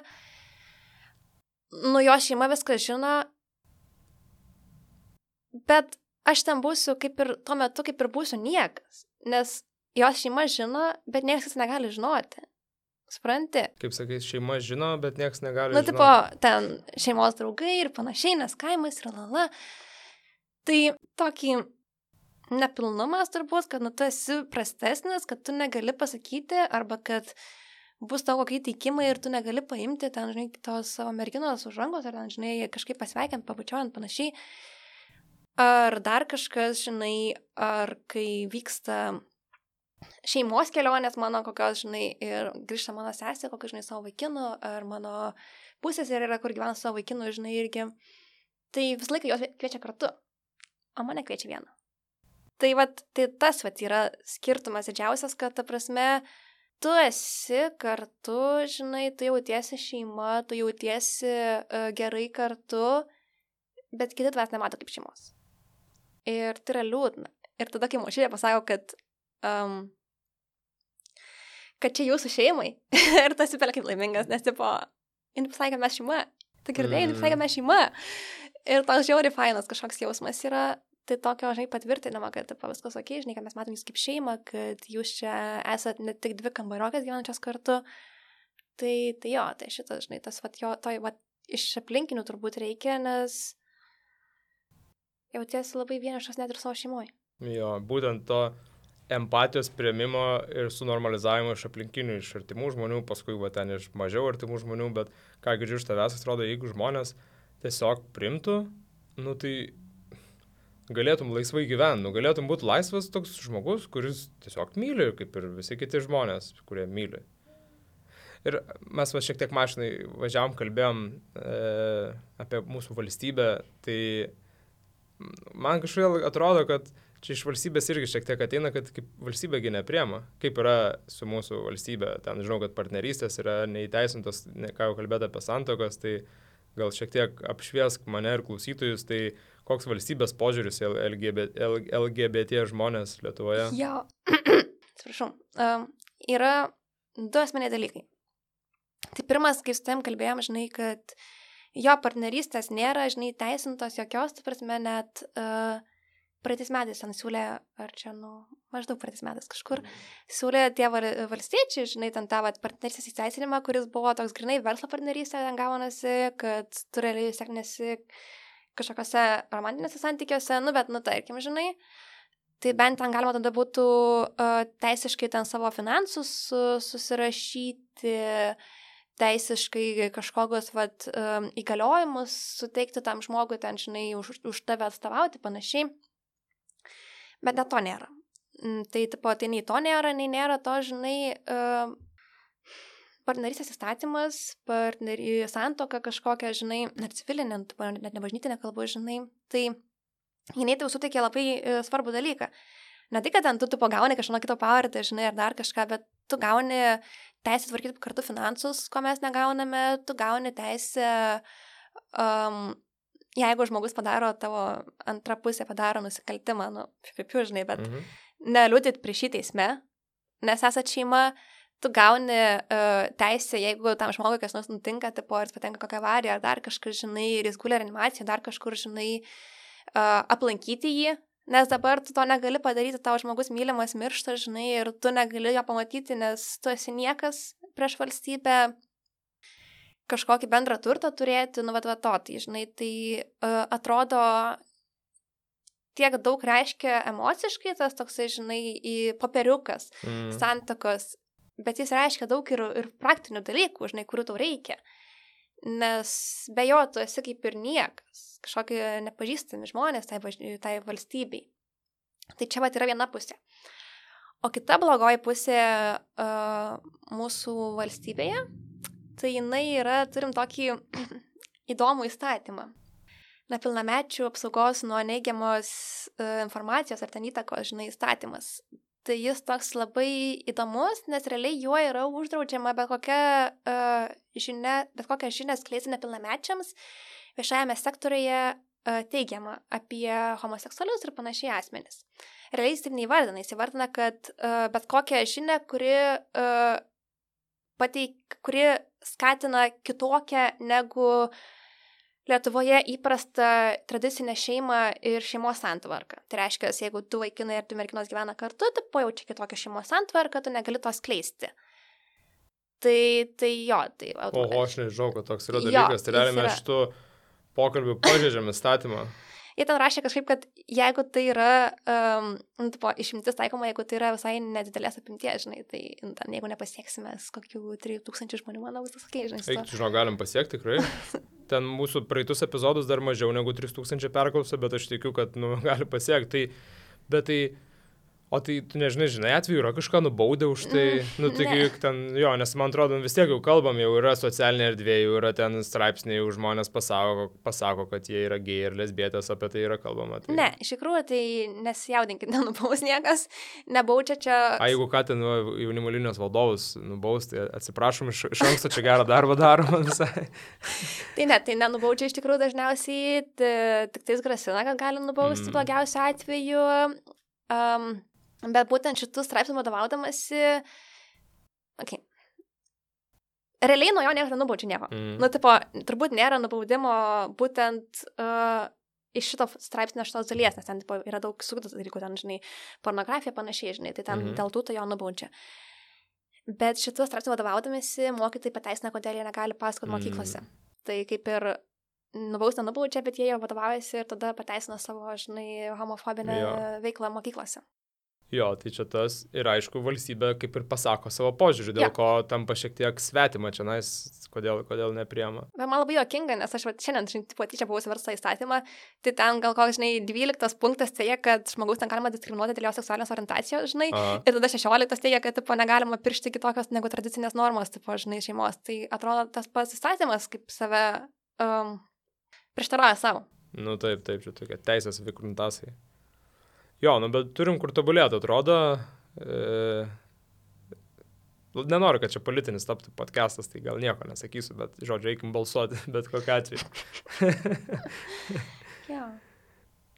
Nu, jo šeima viską žino, bet aš ten būsiu kaip ir tuo metu, kaip ir būsiu niekas, nes jos šeima žino, bet niekas negali žinoti. Supranti? Kaip sakai, šeima žino, bet niekas negali nu, žinoti. Nu, tipo, ten šeimos draugai ir panašiai, nes kaimas yra lala. Tai tokį nepilnumas turbūt, kad nu, tu esi prastesnis, kad tu negali pasakyti, arba kad bus tavo kokie teikimai ir tu negali paimti ten, žinai, tos savo merginos už rankos, ar ten, žinai, kažkaip pasveikiant, pabučiuojant panašiai. Ar dar kažkas, žinai, ar kai vyksta šeimos kelionės mano kokios, žinai, ir grįžta mano sesė, kokios, žinai, savo vaikinų, ar mano pusės ir yra, kur gyvena savo vaikinų, žinai, irgi. Tai visą laiką jos kviečia kartu, o mane kviečia vieną. Tai, vat, tai tas, vat, yra skirtumas didžiausias, kad, ta prasme, tu esi kartu, žinai, tu jautiesi šeima, tu jautiesi uh, gerai kartu, bet kiti tavęs nemato kaip šeimos. Ir tai yra liūdna. Ir tada, kai močiutė pasako, kad, um, kad čia jūsų šeimai, ir tas įpėlė kaip laimingas, nes, tipo, jin pasakė, kad mes šeima. Tai girdėjai, jin pasakė, kad mes šeima. Ir toks žiauriai fainas kažkoks jausmas yra. Tai tokio, žinai, patvirtinama, kad tipo, viskas ok, žinai, kad mes matom jūs kaip šeima, kad jūs čia esat ne tik dvi kambariokės gyvenančios kartu. Tai, tai jo, tai šitas, žinai, tas, vat, jo, to, vat, iš aplinkinių turbūt reikia, nes jautiesi labai vienišas net ir savo šeimoje. Jo, būtent to empatijos priėmimo ir sunormalizavimo iš aplinkinių, iš artimų žmonių, paskui va ten iš mažiau artimų žmonių, bet ką girdžiu iš tavęs, atrodo, jeigu žmonės tiesiog primtų, nu tai galėtum laisvai gyventi, nu, galėtum būti laisvas toks žmogus, kuris tiesiog myli, kaip ir visi kiti žmonės, kurie myli. Ir mes va šiek tiek mašinai važiavom, kalbėjom e, apie mūsų valstybę, tai man kažkaip atrodo, kad čia iš valstybės irgi šiek tiek ateina, kad kaip valstybėgi nepriema. Kaip yra su mūsų valstybė, ten žinau, kad partnerystės yra neįteisintos, ne, ką jau kalbėti apie santuokas, tai gal šiek tiek apšviesk mane ir klausytojus, tai koks valstybės požiūris į L G B T, L G B T žmonės Lietuvoje? Jo, atsiprašau, um, yra du asmeniai dalykai. Tai pirmas, kai su tavim kalbėjom, žinai, kad jo partnerystės nėra, žinai, teisintos jokios, tai prasme net uh, praeitais metais ten siūlė, ar čia, nu, maždaug praeitais metais kažkur, siūlė tie valstiečiai, žinai, ten tą partnerystės įteisinimą, kuris buvo toks grinai verslo partnerystė, ten gaunasi, kad tu realiai seknesi kažkokiose romantinėse santykiuose, nu, bet, nu, tarkim, žinai, tai bent ten galima tada būtų uh, teisiškai ten savo finansus uh, susirašyti, teisiškai kažkokius, vat, um, įgaliojimus suteikti tam žmogui, ten, žinai, už, už tave atstovauti, panašiai. Bet net to nėra. Tai, tipo, tai nei to nėra, nei nėra to, žinai, uh, partnerystės įstatymas, partneri, santuoka kažkokia, žinai, net civilinė, net nebažnytinė kalba, žinai, tai jinai tai suteikė labai uh, svarbų dalyką. Ne tai, kad ten tu, tu pagauni kažką kito pavardę, žinai, ar dar kažką, bet tu gauni teisę tvarkyti kartu finansus, ko mes negauname, tu gauni teisę, um, jeigu žmogus padaro, tavo antra pusė padaro nusikaltimą, nu, pipiu, žinai, bet mhm. neliūdit prieš šį teisme, nes esat šeima, tu gauni uh, teisę, jeigu tam žmogui kas nors nutinka, tipo, ar jis patenka kokią avariją, ar dar kažkur, žinai, ir jis guli reanimaciją, dar kažkur, žinai, uh, aplankyti jį, nes dabar tu to negali padaryti, tavo žmogus mylimas miršta, žinai, ir tu negali jo pamatyti, nes tu esi niekas prieš valstybę, kažkokį bendrą turtą turėti, nu, vat, vat, to, tai, žinai, tai uh, atrodo tiek daug reiškia emociškai, tas toksai, žinai, į popieriukas, mm. santakos, bet jis reiškia daug ir, ir praktinių dalykų, žinai, kurių tau reikia. Nes be jo tu esi kaip ir niekas, kažkokie nepažįstami žmonės tai, tai valstybei. Tai čia vat yra viena pusė. O kita blogoji pusė uh, mūsų valstybėje, tai jinai yra, turim tokį įdomų įstatymą. Nepilnamečių apsaugos nuo neigiamos uh, informacijos ar ten įtakos, žinai, įstatymas. Tai jis toks labai įdomus, nes realiai juo yra uždraudžiama bet kokia uh, žinia, bet kokią žinią skleisti nepilnamečiams viešajame sektoriuje uh, teigiama apie homoseksualius ir panašiai asmenis. Realiai jis taip neįvardina, jis įvardina, kad uh, bet kokią žinią, kuri, uh, pateik, kuri skatina kitokią negu Lietuvoje įprasta tradicinė šeima ir šeimos santvarka. Tai reiškia, jeigu du vaikinai ir du merginos gyvena kartu, tai pajaučia kitokią šeimos santvarką, tu negali to skleisti. Tai, tai jo, tai... Oho, aš nežinau, kad toks yra dalykas. Jo, tai realiai mes šitų pokalbių pažeidžiam įstatymą. Jie ten rašė kažkaip, kad jeigu tai yra um, tipo, išimtis taikoma, jeigu tai yra visai nedidelės apimties, žinai, tai ten, jeigu nepasieksime kokių trijų tūkstančių žmonių, manau, viskas ok, žinai. Eik, žinau, galim pasiekti tikrai. Ten mūsų praeitus epizodus dar mažiau negu trys tūkstančiai perklausų, bet aš tikiu, kad nu, gali pasiekti. Tai, bet tai... O tai, tu nežinai, žinai, atveju yra kažką nubaudę už tai, nu, taigi juk ten, jo, nes man atrodo, vis tiek jau kalbam, jau yra socialinė erdvė, jau yra ten straipsniai, jau žmonės pasako, pasako, kad jie yra gėjai ir lesbietės, apie tai yra kalbama. Tai... Ne, iš tikrųjų, tai nesijaudinkit, nenubaus niekas, nebaučia čia... A, jeigu ką ten nu, jaunimo linijos valdovus nubaus, tai atsiprašom, iš, iš anksto čia gerą darbą darom visai. Tai ne, tai nenubaučia iš tikrųjų dažniausiai, tik tais grasina, kad gali nubausti mm. blogiausiu atveju. Um, Bet būtent šitų straipsnių vadovaudamasi, okay. Realiai nuo jo niekas nenubaučia nieko. Mm. Nu, tipo, turbūt nėra nubaudimo būtent uh, iš šito straipsnio šitos dalies, nes ten tipo, yra daug suktas dalykų, ten, žinai, pornografija panašiai, žinai, tai ten mm-hmm. dėl tų to jo nubaučia. Bet šitų straipsnių vadovaudamasi mokytojai pateisina, kodėl jie negali pasakoti mm. mokyklose. Tai kaip ir nubaus nenubaučia, bet jie jau vadovaujasi ir tada pateisina savo, žinai, homofobinę jo. veiklą mokyklose. Jo, tai čia tas ir aišku, valstybė kaip ir pasako savo požiūrį, dėl ja. ko tampa šiek tiek svetima čia, nais, kodėl, kodėl nepriema. Bet man labai juokinga, nes aš va, šiandien, žinai, tipo, tyčia buvau versta įstatymą, tai ten gal koks, žinai, dvyliktas punktas teigia, kad žmogus ten galima diskriminuoti dėl jo seksualinės orientacijos, žinai, Aha. ir tada šešioliktas teigia, kad, tipo, negalima piršti kitokios negu tradicinės normos, tipo, žinai, šeimos. Tai atrodo, tas pats įstatymas kaip save um, prieštarauja savo. Nu taip, taip, čia tokia teisės vikruntasai. Jo, nu, bet turim kur tobulėti, atrodo. E, nenoriu, kad čia politinis taptų podcastas, tai gal nieko nesakysiu, bet, žodžiu, eikim balsuoti, bet kokiu atveju. Jo.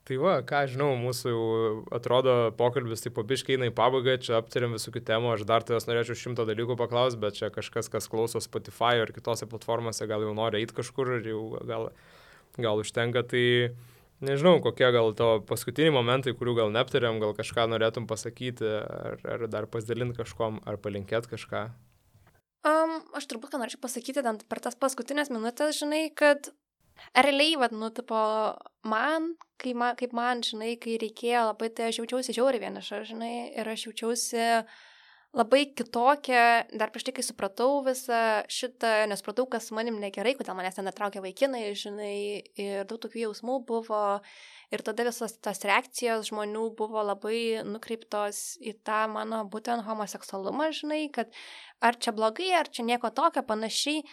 Tai va, ką žinau, mūsų atrodo pokalbis tai po biškai eina į pabaigą, čia aptarėm visokių temų, aš dar tavęs norėčiau šimto dalykų paklausti, bet čia kažkas, kas klauso Spotify ar kitose platformose, gal jau nori eiti kažkur ir jau gal, gal užtenka, tai... Nežinau, kokie gal to paskutiniai momentai, kurių gal neaptarėm, gal kažką norėtum pasakyti, ar, ar dar pasidalinti kažkom, ar palinkėti kažką? Um, aš turbūt, ką norėčiau pasakyti, per tas paskutinės minutės, žinai, kad realiai, vad, nu, tipo, man, kai man, kaip man, žinai, kai reikėjo labai, tai aš jaučiausi žiauriai vieniša, žinai, ir aš jaučiausi labai kitokia, dar prieš tai, kai supratau visą šitą, nesupratau, kas su manim negerai, kodėl manęs ten netraukia vaikinai, žinai, ir daug tokių jausmų buvo, ir tada visos tas reakcijos žmonių buvo labai nukreiptos į tą mano būtent homoseksualumą, žinai, kad ar čia blogai, ar čia nieko tokio, panašiai,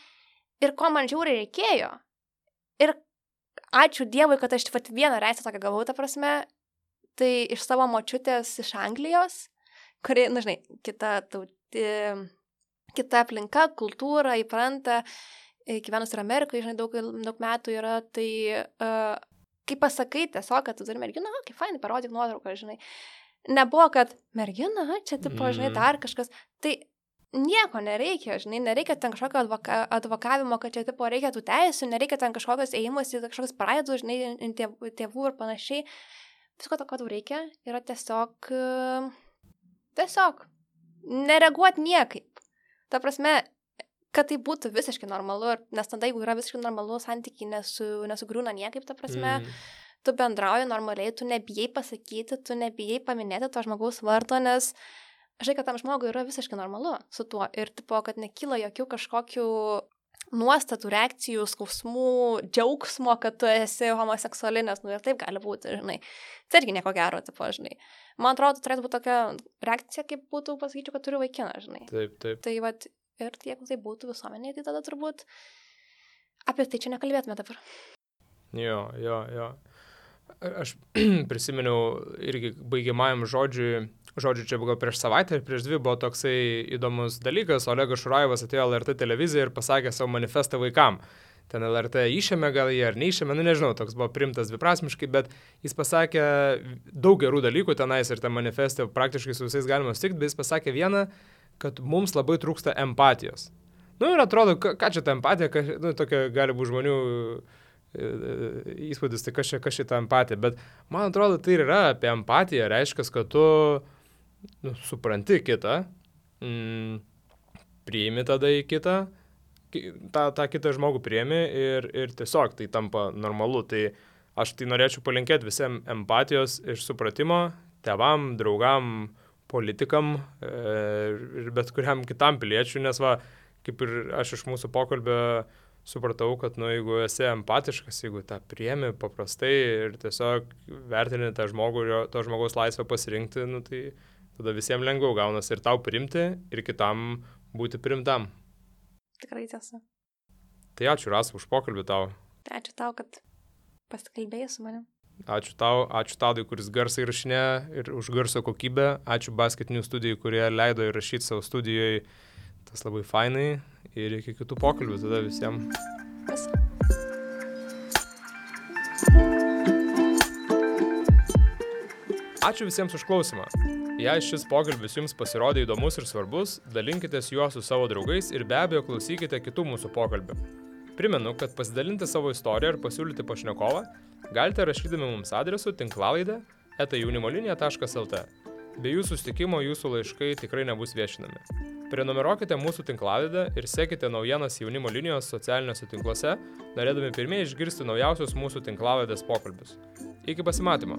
ir ko man žiauriai reikėjo. Ir ačiū Dievui, kad aš vat vieną reisę tokią gavau, ta prasme, tai iš savo močiutės iš Anglijos, kuri, na, žinai, kita, tauti, kita aplinka, kultūra, įpranta, gyvenus ir Amerikoje, žinai, daug, daug metų yra, tai uh, kai pasakai tiesiog, kad tu turi merginą, na, kaip fainai, parodyk nuotrauką, žinai. Nebuvo, kad mergina, čia, tipo, žinai, dar kažkas, tai nieko nereikia, žinai, nereikia ten kažkokio advoka, advokavimo, kad čia, tipo, reikia tų teisų, nereikia ten kažkokios ėjimus į kažkokios praeidų, žinai, tėvų, tėvų ir panašiai. Visko to, ko tau reikia, yra tiesiog... Uh, Tiesiog nereaguoti niekaip. Ta prasme, kad tai būtų visiškai normalu, nes tada, jeigu yra visiškai normalu, santykiai nesu, nesugriūna niekaip, ta prasme, mm. tu bendrauji normaliai, tu nebijai pasakyti, tu nebijai paminėti to žmogaus vardo, nes žinai, kad tam žmogui yra visiškai normalu su tuo ir tipo, kad nekyla jokių kažkokių nuostatų, reakcijų, skausmų, džiaugsmo, kad tu esi homoseksualinės, nu ir taip gali būti, žinai. Tai irgi nieko gero, tipo, žinai. Man atrodo, turėtų būti tokia reakcija, kaip būtų, pasakyčiau, kad turiu vaikiną, žinai. Taip, taip. Tai vat, ir jeigu tai būtų visuomenėje, tai tada turbūt apie tai čia nekalbėtume dabar. Jo, jo, jo. Aš prisiminiau irgi baigiamajam žodžiui, žodžiu, čia gal prieš savaitę ir prieš dvi buvo toksai įdomus dalykas, Olegas Šurajevas atėjo L R T televiziją ir pasakė savo manifestą vaikam. Ten L R T išėmė gal jį ar neišėmė, nu nežinau, toks buvo primtas dviprasmiškai, bet jis pasakė daug gerų dalykų tenais ir tą manifestą praktiškai su visais galima sutikti, bet jis pasakė vieną, kad mums labai trūksta empatijos. Nu ir atrodo, ką, ką čia ta empatija, ką, nu tokia gali būti žmonių įspūdis, tai kas čia, kas čia ta empatija, bet man atrodo, tai yra apie empatiją, reiškia, kad tu nu, supranti kitą, mm, priimi tada į kitą, tą, tą kitą žmogų priimi ir, ir tiesiog tai tampa normalu. Tai aš tai norėčiau palinkėti visiems empatijos ir supratimo, tėvam, draugam, politikam e, ir bet kuriam kitam piliečiui, nes va, kaip ir aš iš mūsų pokalbio supratau, kad nu, jeigu esi empatiškas, jeigu tą priemi paprastai ir tiesiog vertini tą žmogų ir to žmogaus laisvę pasirinkti, nu, tai tada visiems lengviau gaunasi ir tau priimti, ir kitam būti priimtam. Tikrai tiesa. Tai ačiū, Rasa, už pokalbį tau. Tai ačiū tau, kad pasikalbėjai su manim. Ačiū tau, ačiū Tadui, kuris garsą įrašinė ir už garso kokybę. Ačiū basketinių studijų, kurie leido įrašyti savo studijoje. Tas labai fainai ir iki kitų pokalbių tada visiems. Vis. Ačiū visiems už klausimą. Jei šis pokalbis jums pasirodė įdomus ir svarbus, dalinkitės juo su savo draugais ir be abejo klausykite kitų mūsų pokalbių. Primenu, kad pasidalinti savo istoriją ir pasiūlyti pašnekovą galite rašydami mums adresu tinklalaidė eta jaunimolinija taškas lt. Be jūsų susitikimo jūsų laiškai tikrai nebus viešinami. Prenumeruokite mūsų tinklalaidę ir sekite naujienas Jaunimo linijos socialiniuose tinkluose, norėdami pirmieji išgirsti naujausius mūsų tinklalaidės pokalbius. Iki pasimatymo!